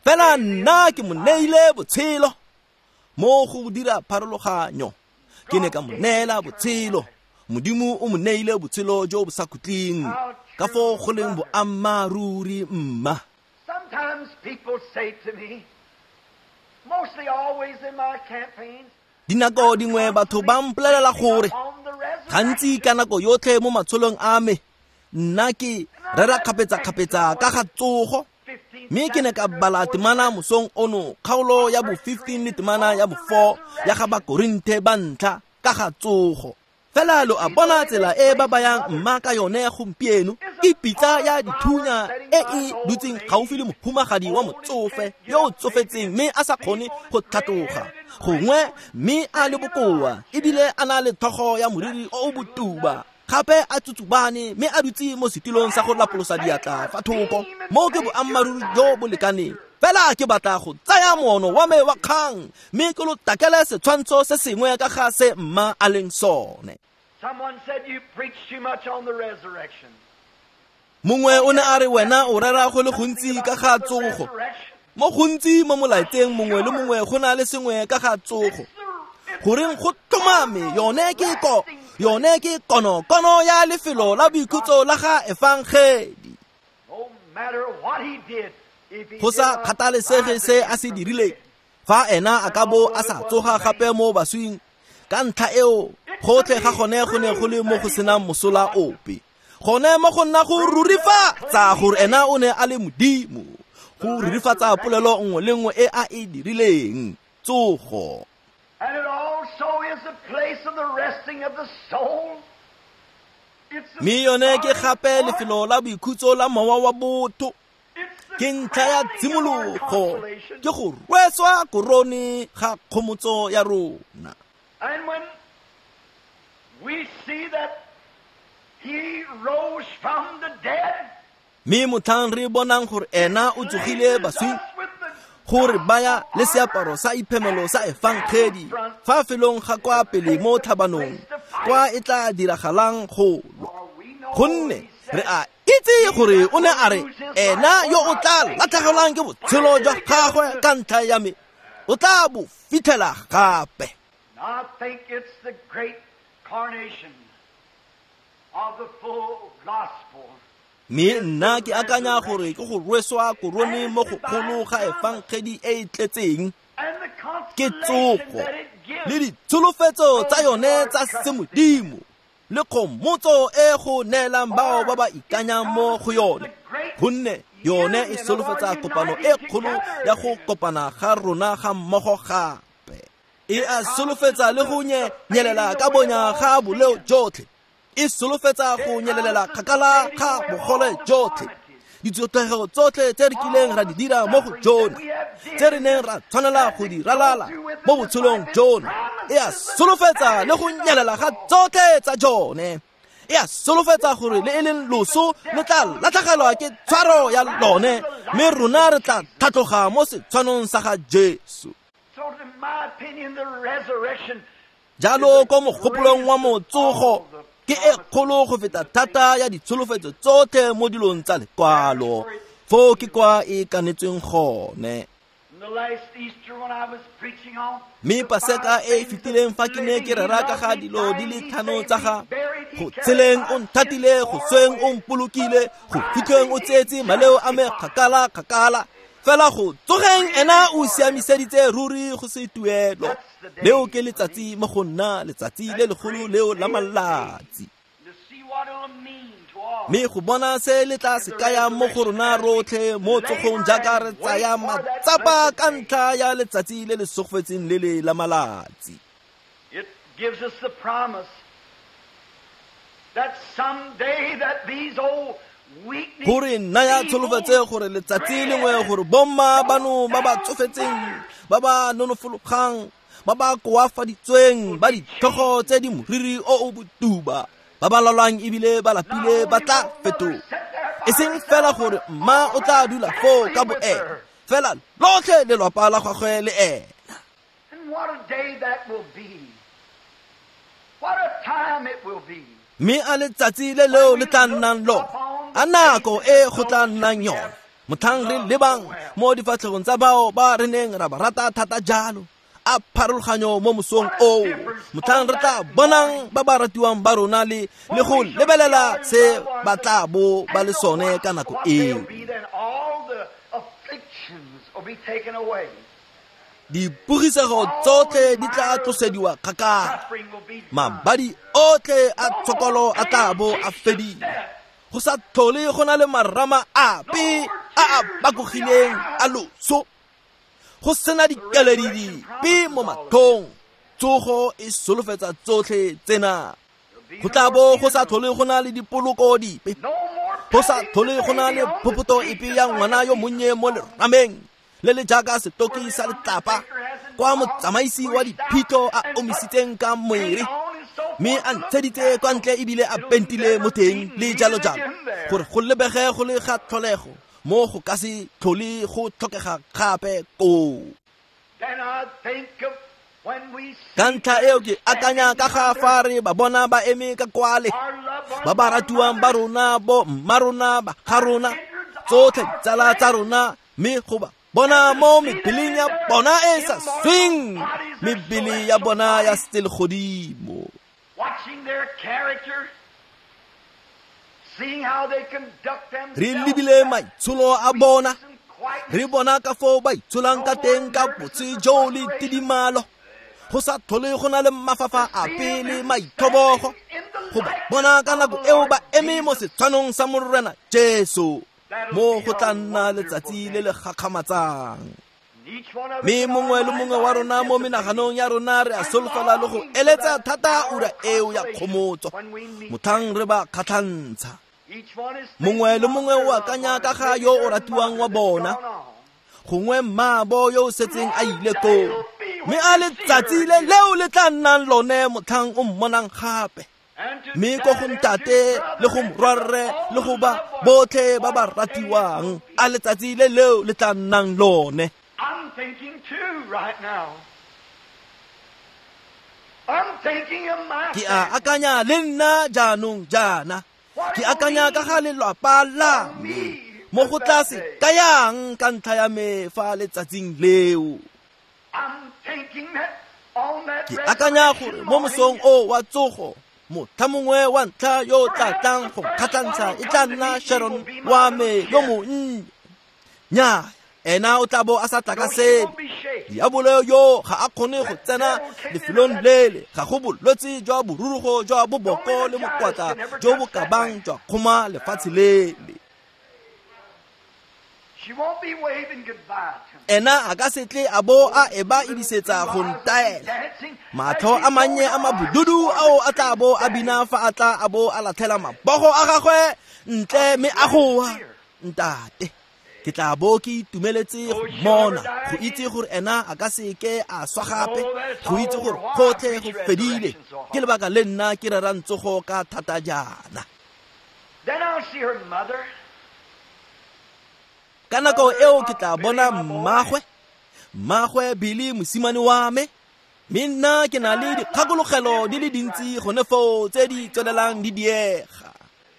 fela nna ke mo neile botshelo. Mo go dira pharologanyo, ke ne ka mo neela botshelo. Modimo o mo neile botshelo jo bo sa khutleng, ka foo go leng boammaaruri mma. Sometimes people say to me, mostly always in my campaigns, Dinako dingwe batho ba mpolelela gore gantsi ka nako yotlhe mo matsholong a me nna ke rera kgapetsa-kgapetsa ka ga tsogo. Mme ke ne ka bala temana mosong ono, kgaolo ya bo fifteen le temana ya bo four ya ga Bakorinthe ba ntlha ka ga tsogo. Fela lo a bona tsela e ba bayang mma ka yone gompieno, ke pitsa ya dithunya e e dutseng gaufi le mohumagadi wa motsofe yo o tsofetseng mme a sa kgone go tlhatloga, gongwe mme a le bokoa ebile a na le tlhogo ya moriri o o botuba, gape a tsutsubane mme a dutse mo setilong sa go lapolosa diatla fa thoko. Mo ke boammaaruri jo bo lekaneng. Fela ke batla go tsaya moono wa me wa kgang mme ke lo takele setshwantsho se sengwe ka ga se mma a leng sone. Someone said you preach too much on the resurrection. Mongwe o ne a re wena o rera go le gontsi ka ga tsogo. Mo gontsi mo molaetseng mongwe le mongwe go na le sengwe ka ga tsogo. Goreng go tlhomame yone ke ko yone ke konokono ya lefelo la boikhutso la ga efangedi. No matter what he did, Go sa kgathalesege se a se dirileng, fa ena a ka bo a sa tsoga gape mo baswing, ka ntlha eo gotlhe ga gone go ne go le mo go senang mosola ope. Gone mo go nna go rurifatsa gore ena o ne a le Modimo, go rurifatsa polelo nngwe le nngwe e a e dirileng, tsogo. And it also is the place of the resting of the soul. Mme yone ke gape lefelo la boikhutso la mowa wa botho. Ke ntlha ya tshimologo, ke go rweswa korone ga kgomotso ya rona. And when we see that he rose from the dead, Mme motlhang re bonang gore ena o tsogile baswing, gore baya le seaparo sa iphemelo sa efangedi fa felong ga kwa pele mo tlhabanong, kwa e tla diragalang go lwa. Gonne re a itse gore o ne a re ena yo o tla latlhegelwang ke botshelo jwa gagwe ka ntlha ya me, o tla bo fitlhela gape. I think it's the great carnation of the full gospel. Mme nna ke akanya gore ke go rweswa korone mo go kgolo ga efangedi e e tletseng, ke tsogo le ditsholofetso tsa yone tsa semodimo le kgomotso e go neelang bao ba ba ikanyang mo go yone, gonne yone e solofetsa kopano e kgolo ya go kopana ga rona ga mmogo gape. E a solofetsa le go nyelela ka bonya ga boleo jotlhe, e solofetsa go nyelelela kgakala ga bogole jotlhe, ditsotlhego tsotlhe tse re kileng ra di dira mo go jona, tse re neng ra tshwanela go di ralala mo botshelong jona. E a solofetsa le go nyelela ga tsotlhe tsa jone. E a solofetsa gore le e leng loso le tla latlhegelwa ke tshwaro ya lone, mme rona re tla tlhatloga mo setshwanong sa ga Jesu. Jalo ko mogopolong wa motsogo ke e kgolo go feta thata ya ditsholofetso tsotlhe mo dilong tsa lekwalo, foo ke kwa e kanetsweng gone. Mme Paseka e e fetileng fa ke ne ke rera ka ga dilo di le tlhano tsa ga go tsheleng o nthatile, go sweng o mpolokile, go fitlheng o tseetse maleo a me kgakala kgakala, fela go tsogeng ena o siamiseditse ruri go se tuelo. Leo ke letsatsi mo go nna, letsatsi le legolo leo la malatsi. Mme go bona se le tla se kaya mo go rona rotlhe mo tsogong jaaka re tsaya matsapa ka ntlha ya letsatsi le le segofetseng le le la malatsi. It gives us the promise that someday that these old Gore naya tsholofetse gore letsatsi lengwe gore bomma bano ba ba tsofetseng, ba ba nonofologang, ba ba koafaditsweng, ba ditlhogo tse di moriri o o botuba, ba ba lwalang ebile ba lapile ba tla fetoga. E seng fela gore mma o tla dula foo ka boene, fela lotlhe lelapa la gagwe le ena. And what a day that will be. What a time it will be. Mme a letsatsi le leo le tla nnang lona, a nako e go tla nnang yone, motlhang re lebang mo difatlhegong tsa bao ba re neng ra ba rata thata jalo, a pharologanyo mo mosong oo, motlhang re tla bonang ba ba ratiwang ba rona le le go lebelela se ba tla bo ba le sone ka nako eo. Dipogisego tsotlhe di tla tlosediwa kgakala, mabadi otlhe a tshokolo a tla bo a fedile, go sa tlhole go na le marama ape a a bakogileng a loso, go sena dikeledi dipe mo matlhong. Tsogo e solofetsa tsotlhe tsena. Go tla bo go sa tlhole go na le dipoloko dipe, go sa tlhole go na le phophoto epe ya ngwana yo monnye mo lerameng le le jaaka setoki sa letlapa, kwa motsamaisi wa diphitlho a omisitseng ka moere, mme a ntsheditse kwa ntle ebile a pentile mo teng le jalo jalo, gore go lebege go le ga tlholego mo go ka se tlhole go tlhokega gape koo. Ka ntlha eo ke akanya ka ga fa re ba bona ba eme ka kwale, ba ba ratiwang ba rona, bo mma rona, ba ga rona, tsotlhe ditsala tsa rona, mme go ba bona mo mebeleng ya bona e sa sweng, mebele ya bona ya selegodimo. Re lebile maitsholo a bona, re bona ka foo ba itsholang ka teng ka botse jo le tidimalo, go sa tlhole go na le mafafa ape le maitlhobogo, go ba bona ka nako eo ba eme mo setshwanong sa Morena Jesu, mo go tla nna letsatsi le le gakgamatsang. Mme mongwe le mongwe wa rona mo menaganong ya rona re a solofela le go eletsa thata ura eo ya kgomotso, motlhang re ba kgatlhantsha. Mongwe le mongwe o akanya ka ga yo o ratiwang wa bona, gongwe mmaabo yo o setseng a ile koo, mme a letsatsi le leo le tla nnang lone motlhang o mmonang gape. Mme ko go ntate le go morwarre le go ba botlhe ba ba ratiwang, a letsatsi le leo le tla nnang lone. I'm thinking too right now. I'm thinking of my Ke a akanya le nna jaanong jaana, ke akanya ka ga lelapa la me, mo go tla se kayang ka ntlha ya me fa letsatsing leo. I'm thinking that on that Ke akanya gore mo mosong o wa tsogo, motlha mongwe wa ntlha yo o tla tlang go kgatlhantsha e tla nna Sharon wa me yo monnye. Nnyaa, ena o tla bo a sa tla ka sele. Diabolo yo ga a kgone go tsena lefelong lele, ga go bolwetse jwa borurugo jwa boboko le mokwatla jo bo ka bang jwa kgoma lefatshe lele. She won't be waving goodbye to me. Ena a ka se tle a bo a eba edisetsa go ntaela. Matlho a mannye a mabududu ao a tla bo a bina fa a tla a bo a latlhela mabogo a gagwe ntle mme a goa, ntate. Ke tla bo ke itumeletse go mmona, go itse gore ena a ka se ke a swa gape, go itse gore gotlhe go fedile. Ke lebaka le nna ke rerang tsogo ka thata jaana. Then I'll see her mother. Ka nako eo ke tla bona mmagwe, mmagwe Billy mosimane wa me, mme nna ke na le dikgakologelo di le dintsi gone foo tse di tswelelang di diega.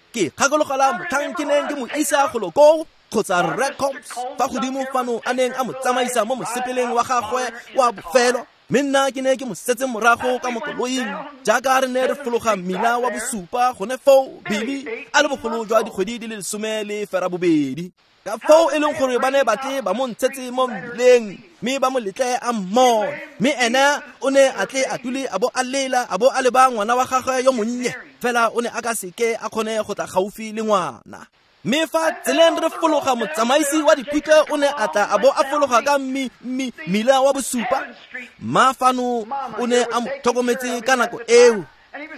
Ke kgakologela motlhang ke neng ke mo isa golo koo Kgotsa Rre Combs fa godimo fano a neng a mo tsamaisa mo mosepeleng wa gagwe wa bofelo, mme nna ke ne ke mo setse morago ka mo koloing jaaka re ne re fologa mmila wa bosupa gone foo Billy a le bogolo jwa dikgwedi di le lesome le ferabobedi. Ka foo e leng gore ba ne ba tle ba mo ntshetse mo mmileng mme ba mo letle a mmone, mme ena o ne a tle a dule a bo a lela a bo a leba ngwana wa gagwe yo monnye, fela o ne a ka seke a kgone go tla gaufi le ngwana. Mme fa tseleng re fologa motsamaisi wa dipitse o ne a tla a bo a fologa ka mmi mmi mmila wa bosupa. Mma fano o ne a mo tlhokometse ka nako eo,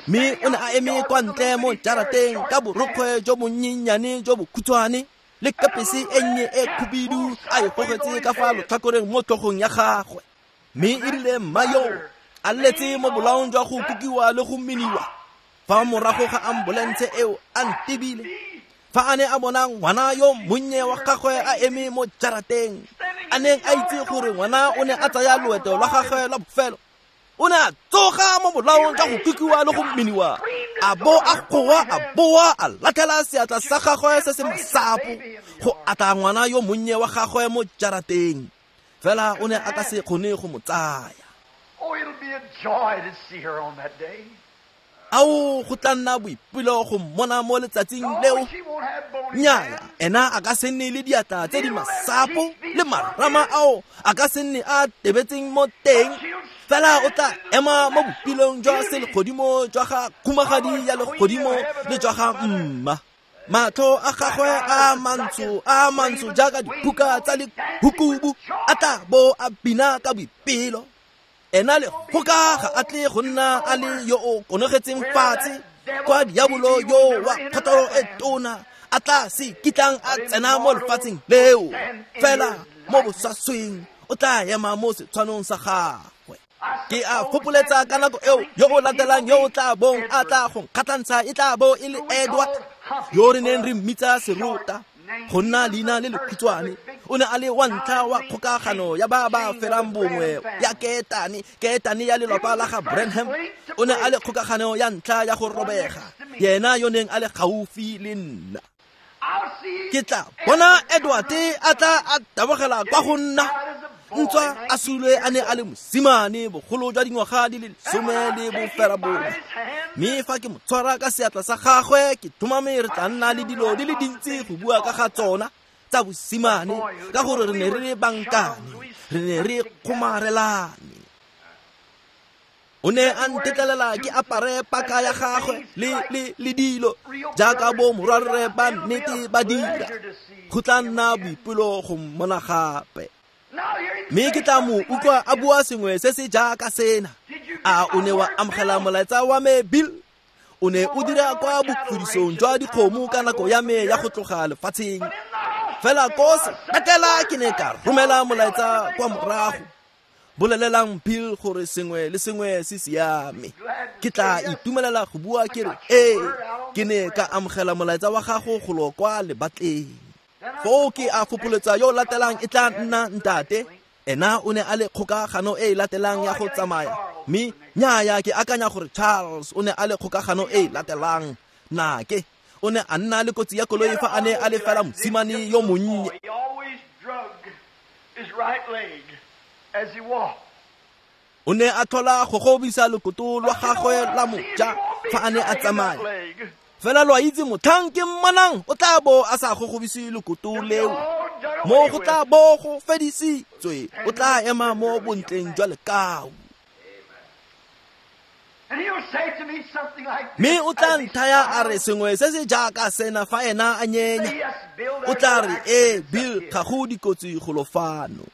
mme o ne a eme kwa ntle mo jarateng ka borokgwe jo bonnyenyane jo bokhutshwane le kapese e nnye e khubidu a e gogetse ka fa lotlhakoreng mo tlhogong ya gagwe. Mme e rile mma yo a letse mo bolaong jwa go kukiwa le go miniwa fa morago ga ambulense eo a ntebile, fa a ne a bona ngwana yo monnye wa gagwe a eme mo jarateng, a neng a itse gore ngwana o ne a tsaya loeto lwa gagwe lwa bofelo, o ne a tsoga mo bolaong jwa go kukiwa le go miniwa, a bo a goa a boa a latlhela seatla sa gagwe se se masapo go atla ngwana yo monnye wa gagwe mo jarateng, fela o ne a ka se kgone go mo tsaya. Oh, it'll be a joy to see her on that day. Ao, go tla nna boipelo go mmona mo letsatsing leo. Nnyaya, ena a ka se nne le diatla tse di masapo le marama ao a ka se nne a tebetseng mo teng, fela o tla ema mo bopilong jwa selegodimo jwa ga khumagadi ya legodimo le jwa ga mma. Matlho a gagwe a mantsho a mantsho jaaka diphuka tsa lehukubu a tla bo a bina ka boipelo. Ena le goka ga a tle go nna a le yo o konogetseng fatshe kwa diabolo yo wa kgotoro e tona a tla se kitlang a tsena mo lefatsheng leo, fela mo bosasweng o tla ema mo setshwanong sa gagwe. Ke a fopoletsa ka nako eo yo o latelang yo o tla bong a tla go nkgatlhantsha e tla bo e le Edward yo re neng re mmitsa Serota go nna leina le lekhutshwane. O ne a le wa ntlha wa kgokagano ya ba ba felang bongwe ya ketane ketane ya lelapa la ga Branham. O ne a le kgokagano ya ntlha ya go robega, yena yo neng a le gaufi le nna. Ke tla bona Edward a tla a tabogela kwa go nna, ntswa a sulwe a ne a le mosimane bogolo jwa dingwaga di le lesome le boferabongwe. Mme fa ke mo tshwara ka seatla sa gagwe ke thomame re tla nna le dilo di le dintsi go bua ka ga tsona tsa bosimane, ka gore re ne re le bankane, re ne re kgomarelane. O ne a ntetlelela ke apare paka ya gagwe le le le dilo jaaka bo morwarre ba nnete ba dira. Go tla nna boipelo go mmona gape. Mme ke tla mo utlwa a bua sengwe se se jaaka sena: a o ne wa amogela molaetsa wa me, Bill? O ne o dira kwa bofudisong jwa dikgomo ka nako ya me ya go tloga lefatsheng, fela ko sepetlele ke ne ka romela molaetsa kwa morago. Bolelelang Bill gore sengwe le sengwe se siame. Ke tla itumelela go bua ke re ee, ke ne ka amogela molaetsa wa gago golo kwa lebatleng. Foo ke a fopoletsa yo latelang e tla nna ntate. Ena o ne a le kgokagano e e latelang ya go tsamaya, mme nnyaya ke akanya gore Charles o ne a le kgokagano e e latelang. Nake o ne a nna le kotsi ya koloi fa a ne a le fela mosimane yo monnye. O ne a tlhola go gobisa lokoto lwa gagwe la moja fa a ne a tsamaya, fela lo a itse motlhang ke mmonang o tla bo a sa gogobise lokoto leo, mo go tla bo go fedisitswe, o tla ema mo bontleng jwa lekau. Mme o tla nthaya a re sengwe se se jaaka sena fa ena a nyenya. O tla re ee, Bill, ga go dikotsi golo fano.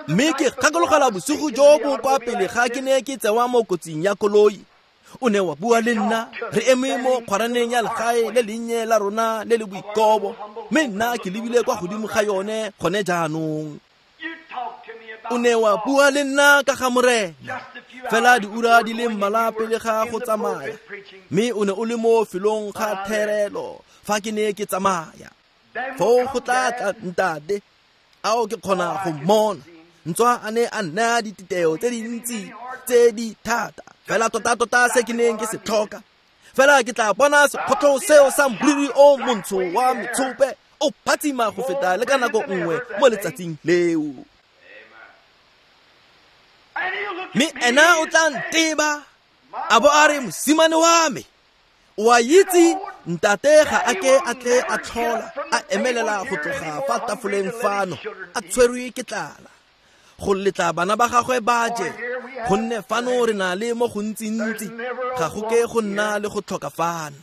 Mme ke gakologelwa bosigo jo bo kwa pele ga ke ne ke tsewa mo kotsing ya koloi. O ne wa bua le nna re eme mo kgwaraneng ya legae le lennye la rona le le boikobo, mme nna ke lebile kwa godimo ga yone gone jaanong. O ne wa bua le nna ka ga Morena fela diura di le mmalwa pele ga go tsamaya, mme o ne o le mo felong ga therelo fa ke ne ke tsamaya. Foo go tla tla ntate, ao ke kgona go mmona, ntswa a ne a nnaya dititeo tse dintsi tse di thata, fela tota-tota se ke neng ke se tlhoka. Fela ke tla bona sekgotlho seo sa moriri o montsho wa metshope O phatsima go feta le ka nako nngwe mo letsatsing leo. Mme ena o tla nteba a bo a re, mosimane wa me, o a itse ntate ga a ke a tle a tlhola a emelela go tloga fa tafoleng fano a tshwerwe ke tlala go letla bana ba gagwe ba je, gonne fano re na le mo gontsintsi, ga go ke go nna le go tlhoka fano.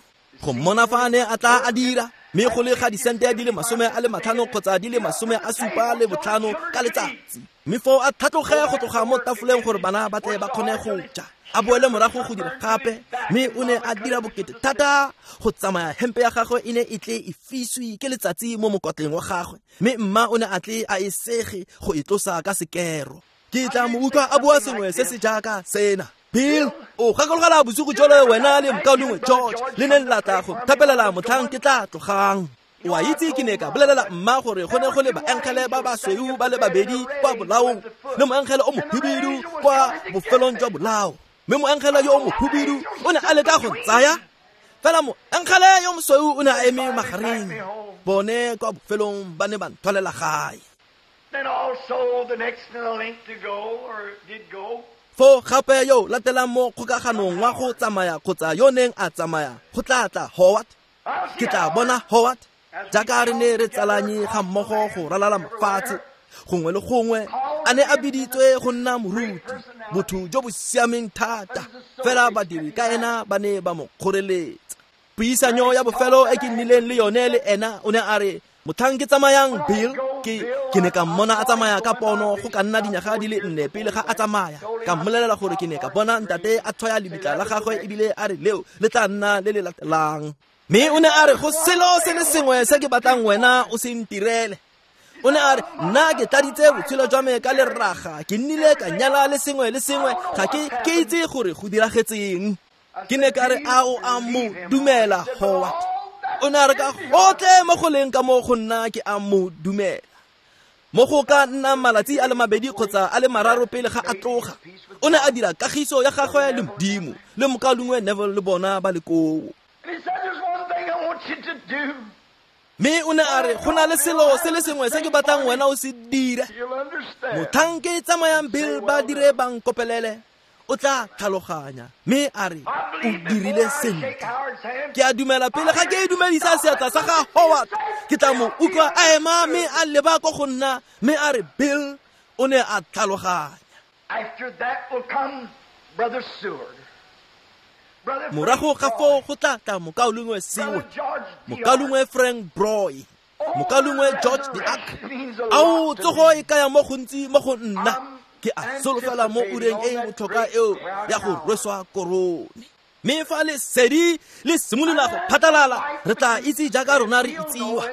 Go mmona fa a ne a tla a dira, mme go le ga disente di le masome a le matlhano kgotsa di le masome a supa le botlhano ka letsatsi, mme foo a tlhatloge go tloga mo tafoleng gore bana ba tle ba kgone go ja, a boele morago go dira gape. Mme o ne a dira bokete thata go tsamaya hempe ya gagwe e ne e tle e fiswe ke letsatsi mo mokotleng wa gagwe, mme mma o ne a tle a e sege go e tlosa ka sekero. Ke tla mo utlwa a bua sengwe se se jaaka sena: Bill, o gakologela bosigo jole wena le mokaulengwe George le neng la tla go thapelela motlhang ke tla tlogang. O a itse ke ne ka bolelela mma gore go ne go le baengele ba basweu ba le babedi kwa bolaong le moengele o mohibidu kwa bofelong jwa bolao, mme moengele yo o mohibidu o ne a leka go ntsaya, fela moengele yo mosweu o ne a eme magareng. Bone kwa bofelong ba ne ba nthwalela gae. Then also the next in the link to go, or did go, Foo gape yo latelang mo kgokaganong wa go tsamaya kgotsa yo neng a tsamaya go tla tla Howard. Ke tla bona Howard jaaka re ne re tsalanye ga mmogo go ralala mafatshe gongwe le gongwe, a ne a biditswe go nna moruti, botho jo bo siameng thata, fela badiri ka ena ba ne ba mo kgoreletsa. Puisanyo ya bofelo e ke nnileng le yone le ena, o ne a re, motlhang ke tsamayang Bill, ke ke ne ka mmona a tsamaya ka pono go ka nna dinyaga di le nne pele ga a tsamaya. Ka mmolelela gore ke ne ka bona ntate a tshwaya lebitla la gagwe ebile a re leo le tla nna le le latelang. Mme o ne a re, go selo se le sengwe se ke batlang wena o se ntirele. O ne a re, nna ke tladitse botshelo jwa me ka leraga, ke nnile ka nyala le sengwe le sengwe, ga ke ke itse gore go diragetseng. Ke ne ka re, a o a mo dumela Howard? O ne a re, ka gotlhe mo go leng ka mo go nna ke a mo dumela. Mo go ka nna malatsi a le mabedi kgotsa a le mararo pele ga a tloga, o ne a dira kagiso ya gagwe le Modimo le mokaulengwe Neville le bona ba le koo. Mme o ne a re, go na le selo se le sengwe se ke batlang wena o se dire. Motlhang ke tsamayang Bill ba dire ba nkopelele, o tla tlhaloganya. Mme a re, o dirile sentle. Ke a dumela pele ga ke dumedisa seatla sa ga Howard, ke tla mo utlwa a ema mme a leba ko go nna, mme a re, Bill o ne a tlhaloganya. After that will come Brother Seward. Morago ga foo go tla tla mokaulengwe Seward, mokaulengwe Frank Broy, mokaulengwe George Deark. Ao, tsogo e kaya mo gontsi mo go nna. Ke a solofela mo ureng e botlhokwa eo ya go rweswa korone. Mme fa lesedi le simolola go phatlalala, re tla itse jaaka rona re itsiwa,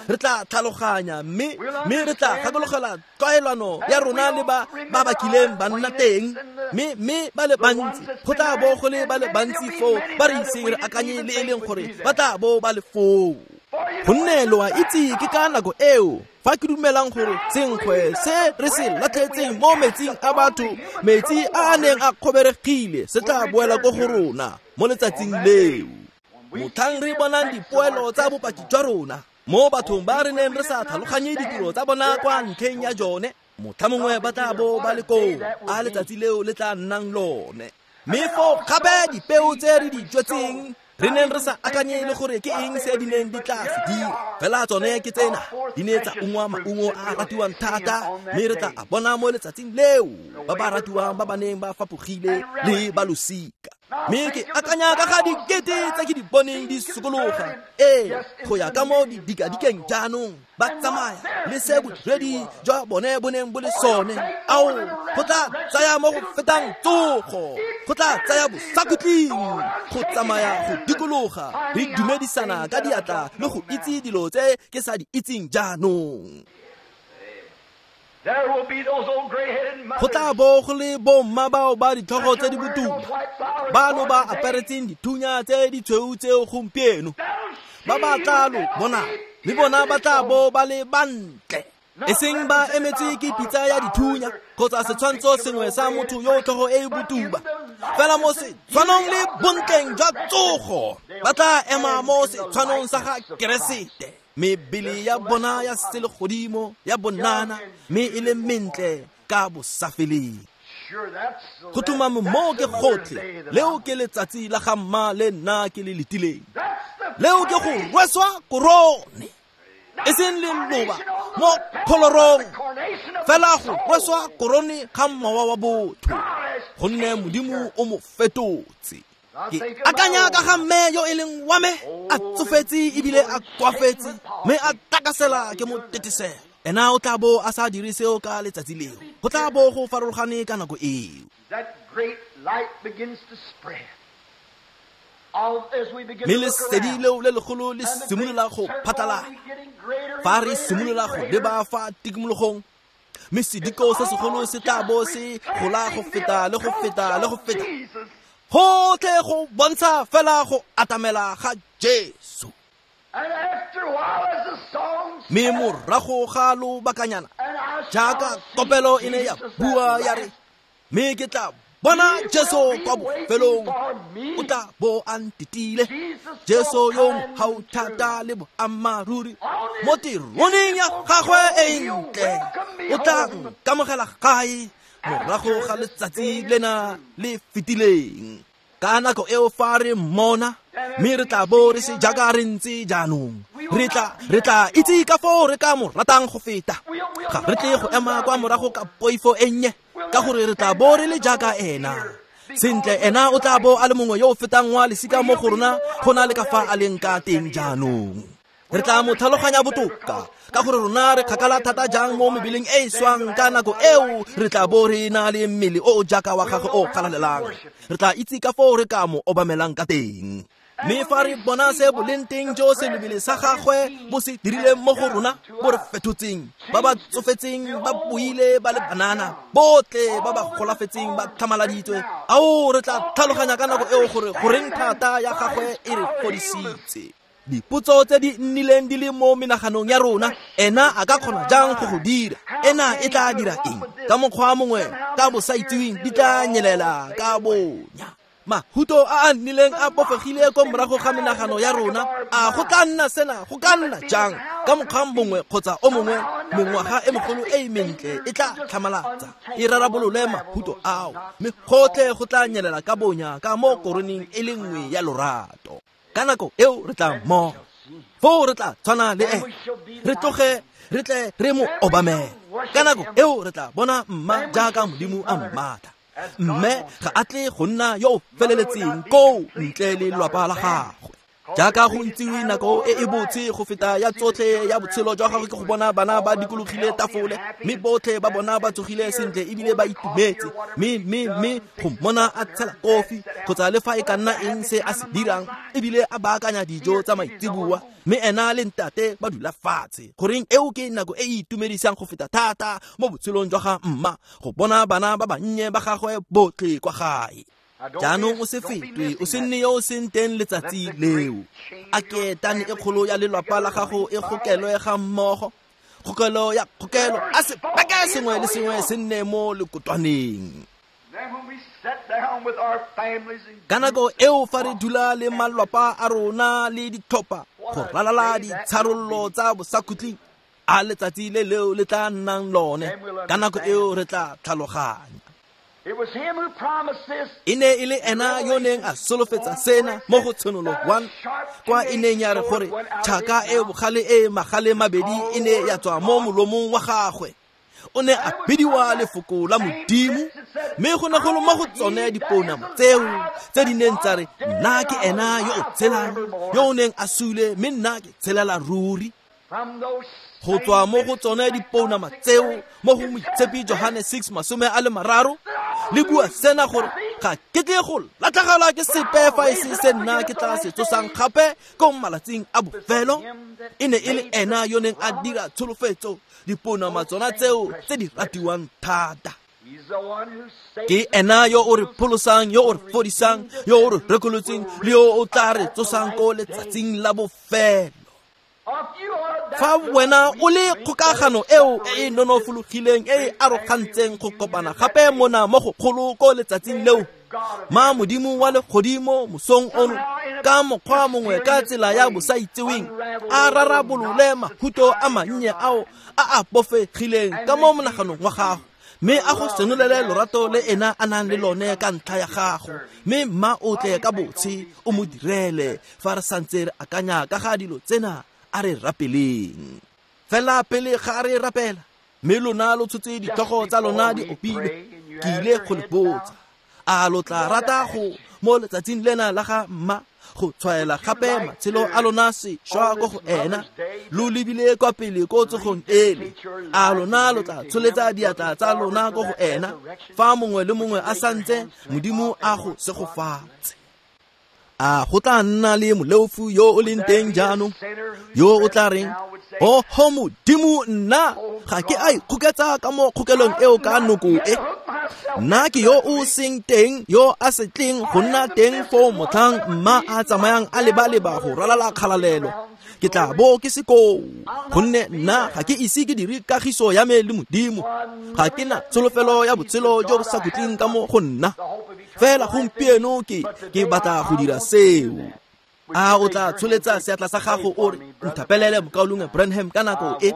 re tla tlhaloganya, mme mme re tla gakologela tlwaelano ya rona le ba ba bakileng ba nna teng. Mme mme ba le bantsi go tla bo go le ba le bantsi foo ba re iseng re akanye le e leng gore ba tla bo ba le foo. Gonne lo a itse ke ka nako eo fa ke dumelang gore senkgwe se re se latlhetseng mo metsing a batho, metsi a a neng a kgoberegile, se tla boela ko go rona mo letsatsing leo. Motlhang re bonang dipoelo tsa bopaki jwa rona mo bathong ba re neng re sa tlhaloganye ditiro tsa bona kwa ntlheng ya jone, motlha mongwe ba tla bo ba le koo, a letsatsi leo le tla nnang lone. Mme foo gape dipeo tse re di jwetseng re neng re sa akanye le gore ke eng se di neng di tla se dira, fela tsone ke tsena di ne tsa ungwa maungo a ratiwang thata, mme re tla a bona mo letsatsing leo ba ba ratiwang ba ba neng ba fapogile le ba losika. Mme ke akanya ka ga dikete tse ke di boneng di sokologa, ee, go ya ka mo didikadikeng jaanong ba tsamaya le se bodiredi jwa bone bo neng bo le sone. Ao, go tla tsaya mo go fetang tsogo, go tla tsaya bosakhutleng go tsamaya go dikologa re dumedisana ka diatla le go itse dilo tse ke sa di itseng jaanong. Go tla bo go le bomma bao ba ditlhogo tse di botuba, bano ba aparetseng dithunya tse di tshweu tseo gompieno, ba ba tla lo bona, mme bona ba tla bo ba le bantle, e seng ba emetse ke pitsa ya dithunya kgotsa setshwantsho sengwe sa motho yo tlhogo e e botuba, fela mo setshwanong le bontleng jwa tsogo ba tla ema mo setshwanong sa ga Keresete. Mebele ya bona ya selegodimo ya bonana mme e le mentle ka bosafeleng. Go tlhomame moo ke gotlhe, leo ke letsatsi la ga mma le nna ke le letileng. Leo ke go rweswa korone, e seng leloba mo kholorong, fela go rweswa korone ga mowa wa botho, gonne Modimo o mo fetotse. Ke akanya ka ga mme yo e leng wa me, a tsofetse ebile a koafetse, mme a takasela ke mo tetesela. Ena o tla bo a sa dire seo ka letsatsi leo, go tla bo go farologane ka nako eo. Mme lesedi leo le legolo le simolola go phatlalala fa re simolola go leba fa tikologong, mme sediko se segolo se tla bo se gola go feta le go feta le go feta, gotlhe go bontsha fela go atamela ga Jesu. Mme morago ga lobakanyana, jaaka kopelo e ne ya bua ya re, mme ke tla bona Jesu kwa bofelong, o tla bo a ntetile. Jesu yo mogau thata le boammaaruri mo teroneng ya gagwe e ntle, o tla nkamogela gae morago ga letsatsi lena le fetileng. Ka nako eo fa re mmona, mme re tla bo re se jaaka re ntse jaanong, re tla re tla itse ka foo re ka mo ratang go feta. Ga re tle go ema kwa morago ka poifo e nnye, ka gore re tla bo re le jaaka ena. Sentle, ena o tla bo a le mongwe yo o fetang wa lesika mo go rona go na le ka fa a leng ka teng jaanong. Re tla mo tlhaloganya botoka, ka gore rona re kgakala thata jang mo mebeleng e e swang. Ka nako eo re tla bo re na le mmele o o jaaka wa gagwe o galalelang. Re tla itse ka foo re ka mo obamelang ka teng. Mme fa re bona se boleng teng jo selebele sa gagwe bo se dirileng mo go rona, bo re fetotseng, ba ba tsofetseng ba boile ba le banana, botlhe ba ba golafetseng ba tlhamaladitswe, ao re tla tlhaloganya ka nako eo gore goreng thata ya gagwe e re fodisitse. Dipotso tse di nnileng di le mo menaganong ya rona, ena a ka kgona jang go go dira, ena e tla dira eng, ka mokgwa mongwe ka bosaitseweng di tla nyelela ka bonya. Mahuto a a nnileng a bofegile ko morago ga menagano ya rona, a go tla nna sena, go ka nna jang, ka mokgwa mongwe kgotsa o mongwe, mengwaga e megolo e e mentle e tla tlhamalatsa, e rarabolole mahuto ao, mme gotlhe go tla nyelela ka bonya ka mo koroneng e le nngwe ya lorato. Ka nako eo re tla mmogo, foo re tla tshwana le ene, re tloge re tle re mo obamele. Ka nako eo re tla bona mma jaaka Modimo a mmatla. Mme ga a tle go nna yo o feleletseng koo ntle le lelapa la gagwe. Jaaka go itsiwe nako e e botse go feta ya tsotlhe ya botshelo jwa gagwe ke go bona bana ba dikologile tafole, mme botlhe ba bona ba tsogile sentle ebile ba itumetse, mme mme mme go mmona a tshela kofi kgotsa le fa e ka nna eng se a se dirang, ebile a baakanya dijo tsa maitseboa, mme ena le ntate ba dula fatshe. Goreng eo ke nako e e itumedisang go feta thata mo botshelong jwa ga mma, go bona bana ba bannye ba gagwe botlhe kwa gae. Jaanong o se fetwe, o se nne yo o seng teng letsatsi leo. A ketane e kgolo ya lelapa la gago e gokelwe ga mmogo, kgokelo ya kgokelo, a sebaka sengwe le sengwe se nne mo lekotwaneng. Ka nako eo fa re dula le malapa a rona le ditlhopha go ralala ditsharollo tsa bosakhutleng, a letsatsi le leo le tla nnang lone, ka nako eo re tla tlhaloganya. E ne e le ena yo neng a solofetsa sena mo go Tshenolo one, kwa e neng ya re gore tšhaka e bogale e magale mabedi e ne ya tswa mo molomong wa gagwe. O ne a bidiwa lefoko la Modimo, mme go ne go le mo go tsone dipounama tseo tse di neng tsa re, nna ke ena yo o tshelang, yo o neng a sule, mme nna ke tshelela ruri. Go tswa mo go tsone dipounama tseo mo go Moitshepi Johane six masome a le mararo, le bua sena gore ga ke tle go latlhegelwa ke sepe fa e se se nna ke tla se tsosang gape ko malatsing a bofelo. E ne e le ena yo neng a dira tsholofetso, dipounama tsona tseo tse di ratiwang thata. Ke ena yo o re pholosang, yo o re fodisang, yo o re rekolotseng, le yo o tla re tsosang ko letsatsing la bofelo. Fa wena o le kgokagano eo e e nonofologileng e e arogantseng go kopana gape mona mo go kgolo ko letsatsing leo, ma Modimo wa legodimo mosong ono ka mokgwa mongwe ka tsela ya bosaitseweng a rarabolole mahuto a mannye ao a a bofegileng ka mo monaganong wa gago, mme a go senolele lorato le ena a nang le lone ka ntlha ya gago, mme mma o tle ka botshe o mo direle. Fa re santse re akanya ka ga dilo tsena, a re rapeleng. Fela pele ga re rapela, mme lona lo tshotse ditlhogo tsa lona di opile, ke ile go le botsa, a lo tla rata go mo letsatsing lena la ga mma go tshwaela gape matshelo a lona sešwa ko go ena, lo lebile kwa pele ko tsogong ele? A lona lo tla tsholetsa diatla tsa lona ko go ena fa mongwe le mongwe a santse Modimo a go segofatse? A go tla nna le moleofu yo o leng teng jaanong yo o tla reng, oho Modimo, nna ga ke a ikgoketsa ka mo kgokelong eo ka noko e, nna ke yo o seng teng, yo a se tleng go nna teng foo motlhang mma a tsamayang a leba-leba go ralala kgalalelo, ke tla bo ke se koo, gonne nna ga ke ise ke dire kagiso ya me le Modimo, ga ke na tsholofelo ya botshelo jo bo sa khutleng ka mo go nna. Fela gompieno ke ke batla go dira seo. A o tla tsholetsa seatla sa gago o re, nthapelele mokaulengwe Branham ka nako e,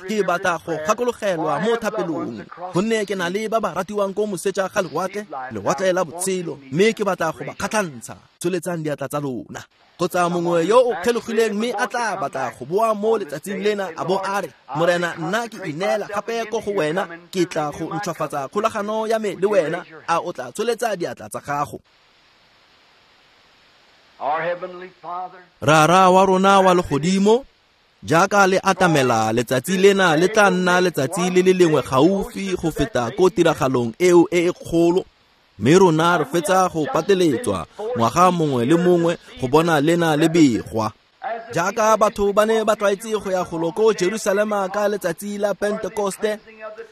ke batla go gakologelwa mo thapelong, gonne ke na le ba ba ratiwang ko moseja ga lewatle, lewatle la botshelo, mme ke batla go ba kgatlhantsha. Tsholetsang diatla tsa lona. Kgotsa mongwe yo o kgelogileng mme a tla batla go boa mo letsatsing lena a bo a re, Morena, nna ke ineela gape ko go wena, ke tla go ntšhwafatsa kgolagano ya me le wena. A o tla tsholetsa diatla tsa gago? Rara wa rona wa legodimo, jaaka le atamela letsatsi lena le tla nna letsatsi le le lengwe gaufi go feta ko tiragalong eo e e kgolo, mme rona re fetsa go pateletswa ngwaga mongwe le mongwe go bona lena le begwa. Jaaka batho ba ne ba tlwaetse go ya golo ko Jerusalema ka letsatsi la Pentekoste,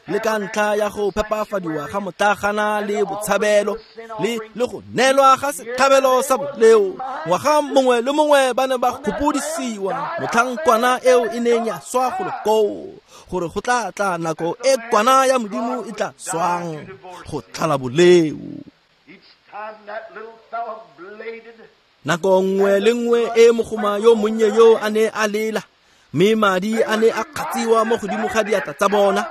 le ka ntlha ya go phepafadiwa ga motlagana le botshabelo le le go neelwa ga setlhabelo sa boleo, ngwaga mongwe le mongwe ba ne ba gopodisiwa motlhang kwana eo e neng ya swa golo koo, gore go tla tla nako e kwana ya Modimo e tla swang go tlhala boleo. Nako nngwe le nngwe e mogoma yo monnye yo a ne a lela, mme madi a ne a kgatsiwa mo godimo ga diatla tsa bona,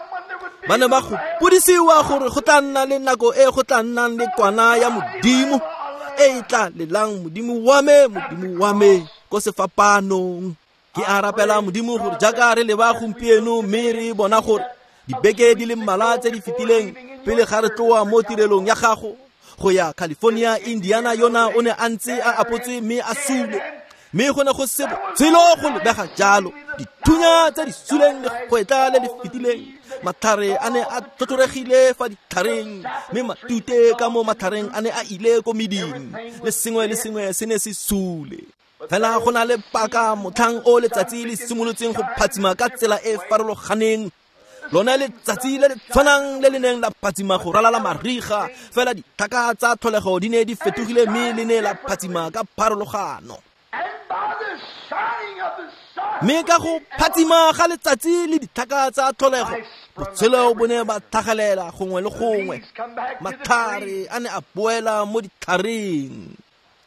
ba ne ba gopodisiwa gore go tla nna le nako e go tla nnang le kwana ya Modimo e e tla lelang, Modimo wa me, Modimo wa me, ko sefapanong. Ke a rapela Modimo gore jaaka re leba gompieno mme re bona gore dibeke di le mmalwa tse di fetileng pele ga re tloa mo tirelong ya gago go ya California, Indiana yona o ne a ntse a apotswe mme a sule, mme go ne go se botshelo go lebega jalo, dithunya tse di suleng legwetla le le fetileng, matlhare a ne a tlhotlhoregile fa ditlhareng, mme matute ka mo matlhareng a ne a ile ko meding, le sengwe le sengwe se ne se sule. Fela go na le paka motlhang o letsatsi le simolotseng go phatsima ka tsela e farologaneng, lone letsatsi le le tshwanang le le neng la phatsima go ralala mariga, fela ditlhaka tsa tlholego di ne di fetogile mme le ne la phatsima ka pharologano. Mme ka go phatsima ga letsatsi le ditlhaka tsa tlholego, botshelo bo ne ba tlhagelela gongwe le gongwe, matlhare a ne a boela mo ditlhareng.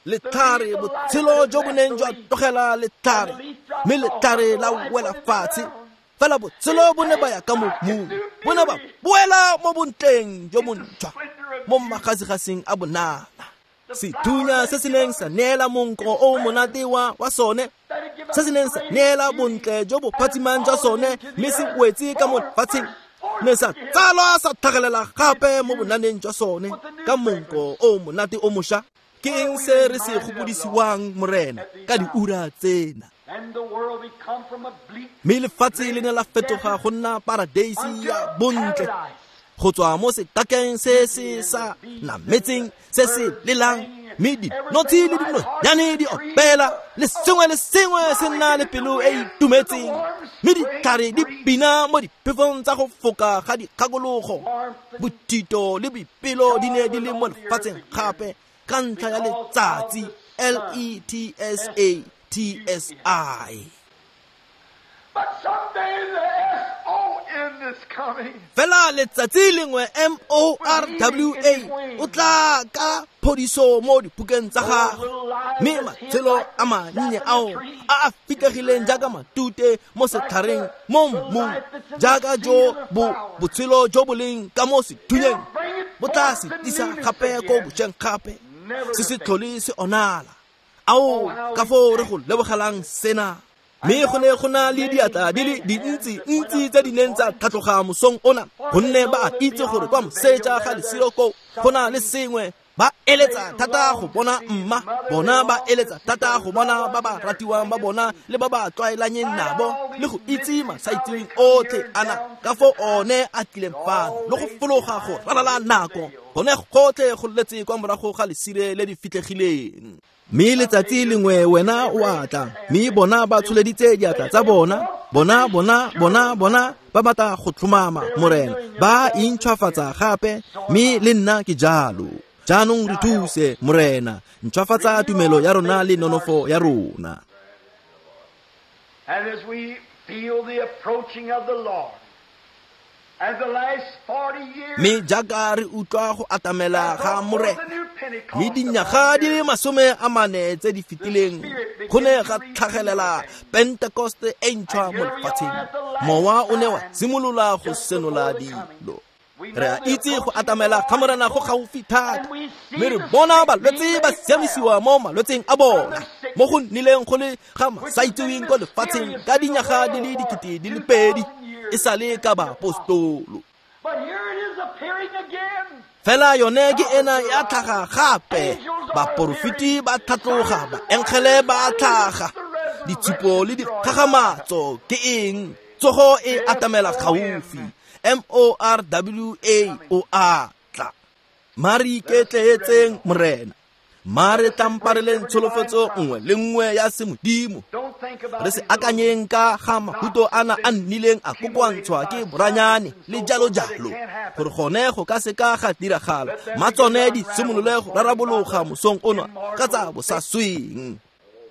Letlhare, botshelo jo bo neng jwa tlogela letlhare, mme letlhare la wela fatshe, fela botshelo bo ne ba ya ka mo mmung, bo ne ba boela mo bontleng jo bontšhwa, mo magasigasing a bonana. Sethunya se se neng sa neela monko o monate wa wa sone, se se neng sa neela bontle jo bo phatsimang jwa sone, mme se wetse ka mo lefatsheng, ne sa tsalwa sa tlhagelela gape mo bonaneng jwa sone ka monko o monate o mošwa. Ke eng se re se gopodisiwang, Morena, ka diura tsena? Mme lefatshe le ne la fetoga go nna paradeisi ya bontle, go tswa mo sekakeng se se sa nametseng se se lelang, mme dinotshi le dinonyane di opela, le sengwe le sengwe se nna le pelo e itumetseng, mme ditlhare di bina mo diphefong tsa go foka ga dikgakologo. Bothito le boipelo di ne di le mo lefatsheng gape ka ntlha ya letsatsi L E T S A T S I. But someday the S O in the Fela letsatsi lengwe M O R W A o tla ka phodiso mo dipukeng tsa gagwe, mme matshelo a mannye ao a a fitlhegileng jaaka matute mo setlhareng mo mmung, jaaka jo bo botshelo jo bo leng ka mo sethunyeng bo tla se tlisa gape ko bošweng gape, se se tlhole se onala. Ao ka foo re go lebogelang sena. Mme go ne go na le diatla di le dintsi ntsi tse di neng tsa tlhatloga mosong ona, gonne ba a itse gore kwa moseja ga lesiro koo go na le sengwe. Ba eletsa thata go bona mma bona, ba eletsa thata go bona ba ba ratiwang ba bona le ba ba tlwaelanyeng nabo, le go itse masaitseweng otlhe ana ka foo one a tlileng fano le go fologa go ralala nako, gone gotlhe go letse kwa morago ga lesire le di fitlhegileng. Mme letsatsi lengwe wena o a tla, mme bona ba tsholeditse diatla tsa bona, bona bona bona bona ba batla go tlhomama, Morena, ba intšhwafatsa gape, mme le nna ke jalo. Jaanong re thuse, Morena, ntšhwafatsa tumelo ya rona le nonofo ya rona. And as we feel the approaching of the Lord, as the last forty years, mme jaaka re utlwa go atamela ga Morena, mme dinyaga di le masome a mane tse di fetileng go ne ga tlhagelela Pentekoste e ntšhwa mo lefatsheng. Mowa o ne wa simolola go senola dilo. Re a itse go atamela ga Morena go gaufi thata, mme re bona balwetse ba siamisiwa mo malwetseng a bona, mo go nnileng go le ga masaitseweng ko lefatsheng ka dinyaga di le dikete di le pedi e sale ka baapostolo. Fela yone ke ena ya tlhaga gape, baporofeti ba tlhatloga, baengele ba tlhaga, ditshupo le dikgagamatso ke eng? Tsogo e atamela gaufi. M O R W A o a tla. Mare iketleetseng Morena, mare tlampareleng tsholofetso nngwe le nngwe ya semodimo. Re se akanyeng ka ga mahuto ana a nnileng a kokoantshwa ke boranyane le jalo jalo, gore gone go ka seka ga diragala, ma tsone di simolole go rarabologa mosong ono ka tsa bosasweng.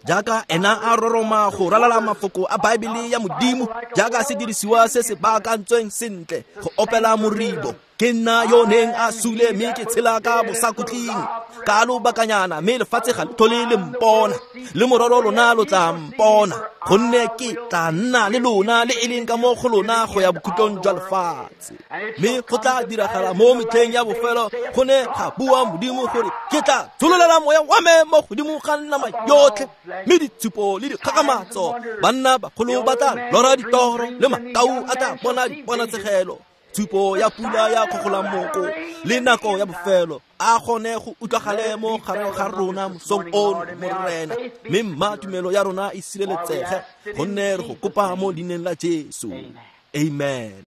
Jaaka ena a roroma go ralala mafoko a Baebele ya Modimo, jaaka sedirisiwa se se baakantsweng sentle go opela moribo. Ke nna yo neng a sule mme ke tshela ka bosakhutleng ka lobakanyana, mme lefatshe ga le tlhole le mpona, le mororo lona lo tla mpona, gonne ke tla nna le lona le e leng ka mo go lona go ya bokhutlong jwa lefatshe. Mme go tla diragala mo metlheng ya bofelo, go ne ga bua Modimo gore ke tla tshololela moya wa me mo godimo ga nama yotlhe, mme ditshupo le dikgakgamatso, banna bagolo ba tla lora ditoro, le makau a tla bona diponatshegelo, tshupo ya pula ya kgogolamoko le nako ya bofelo a gone go utlwagale mo gare ga rona mosong ono, Morena, mme mma tumelo ya rona e sireletsege, gonne re go kopa mo leineng la Jesu. Amen.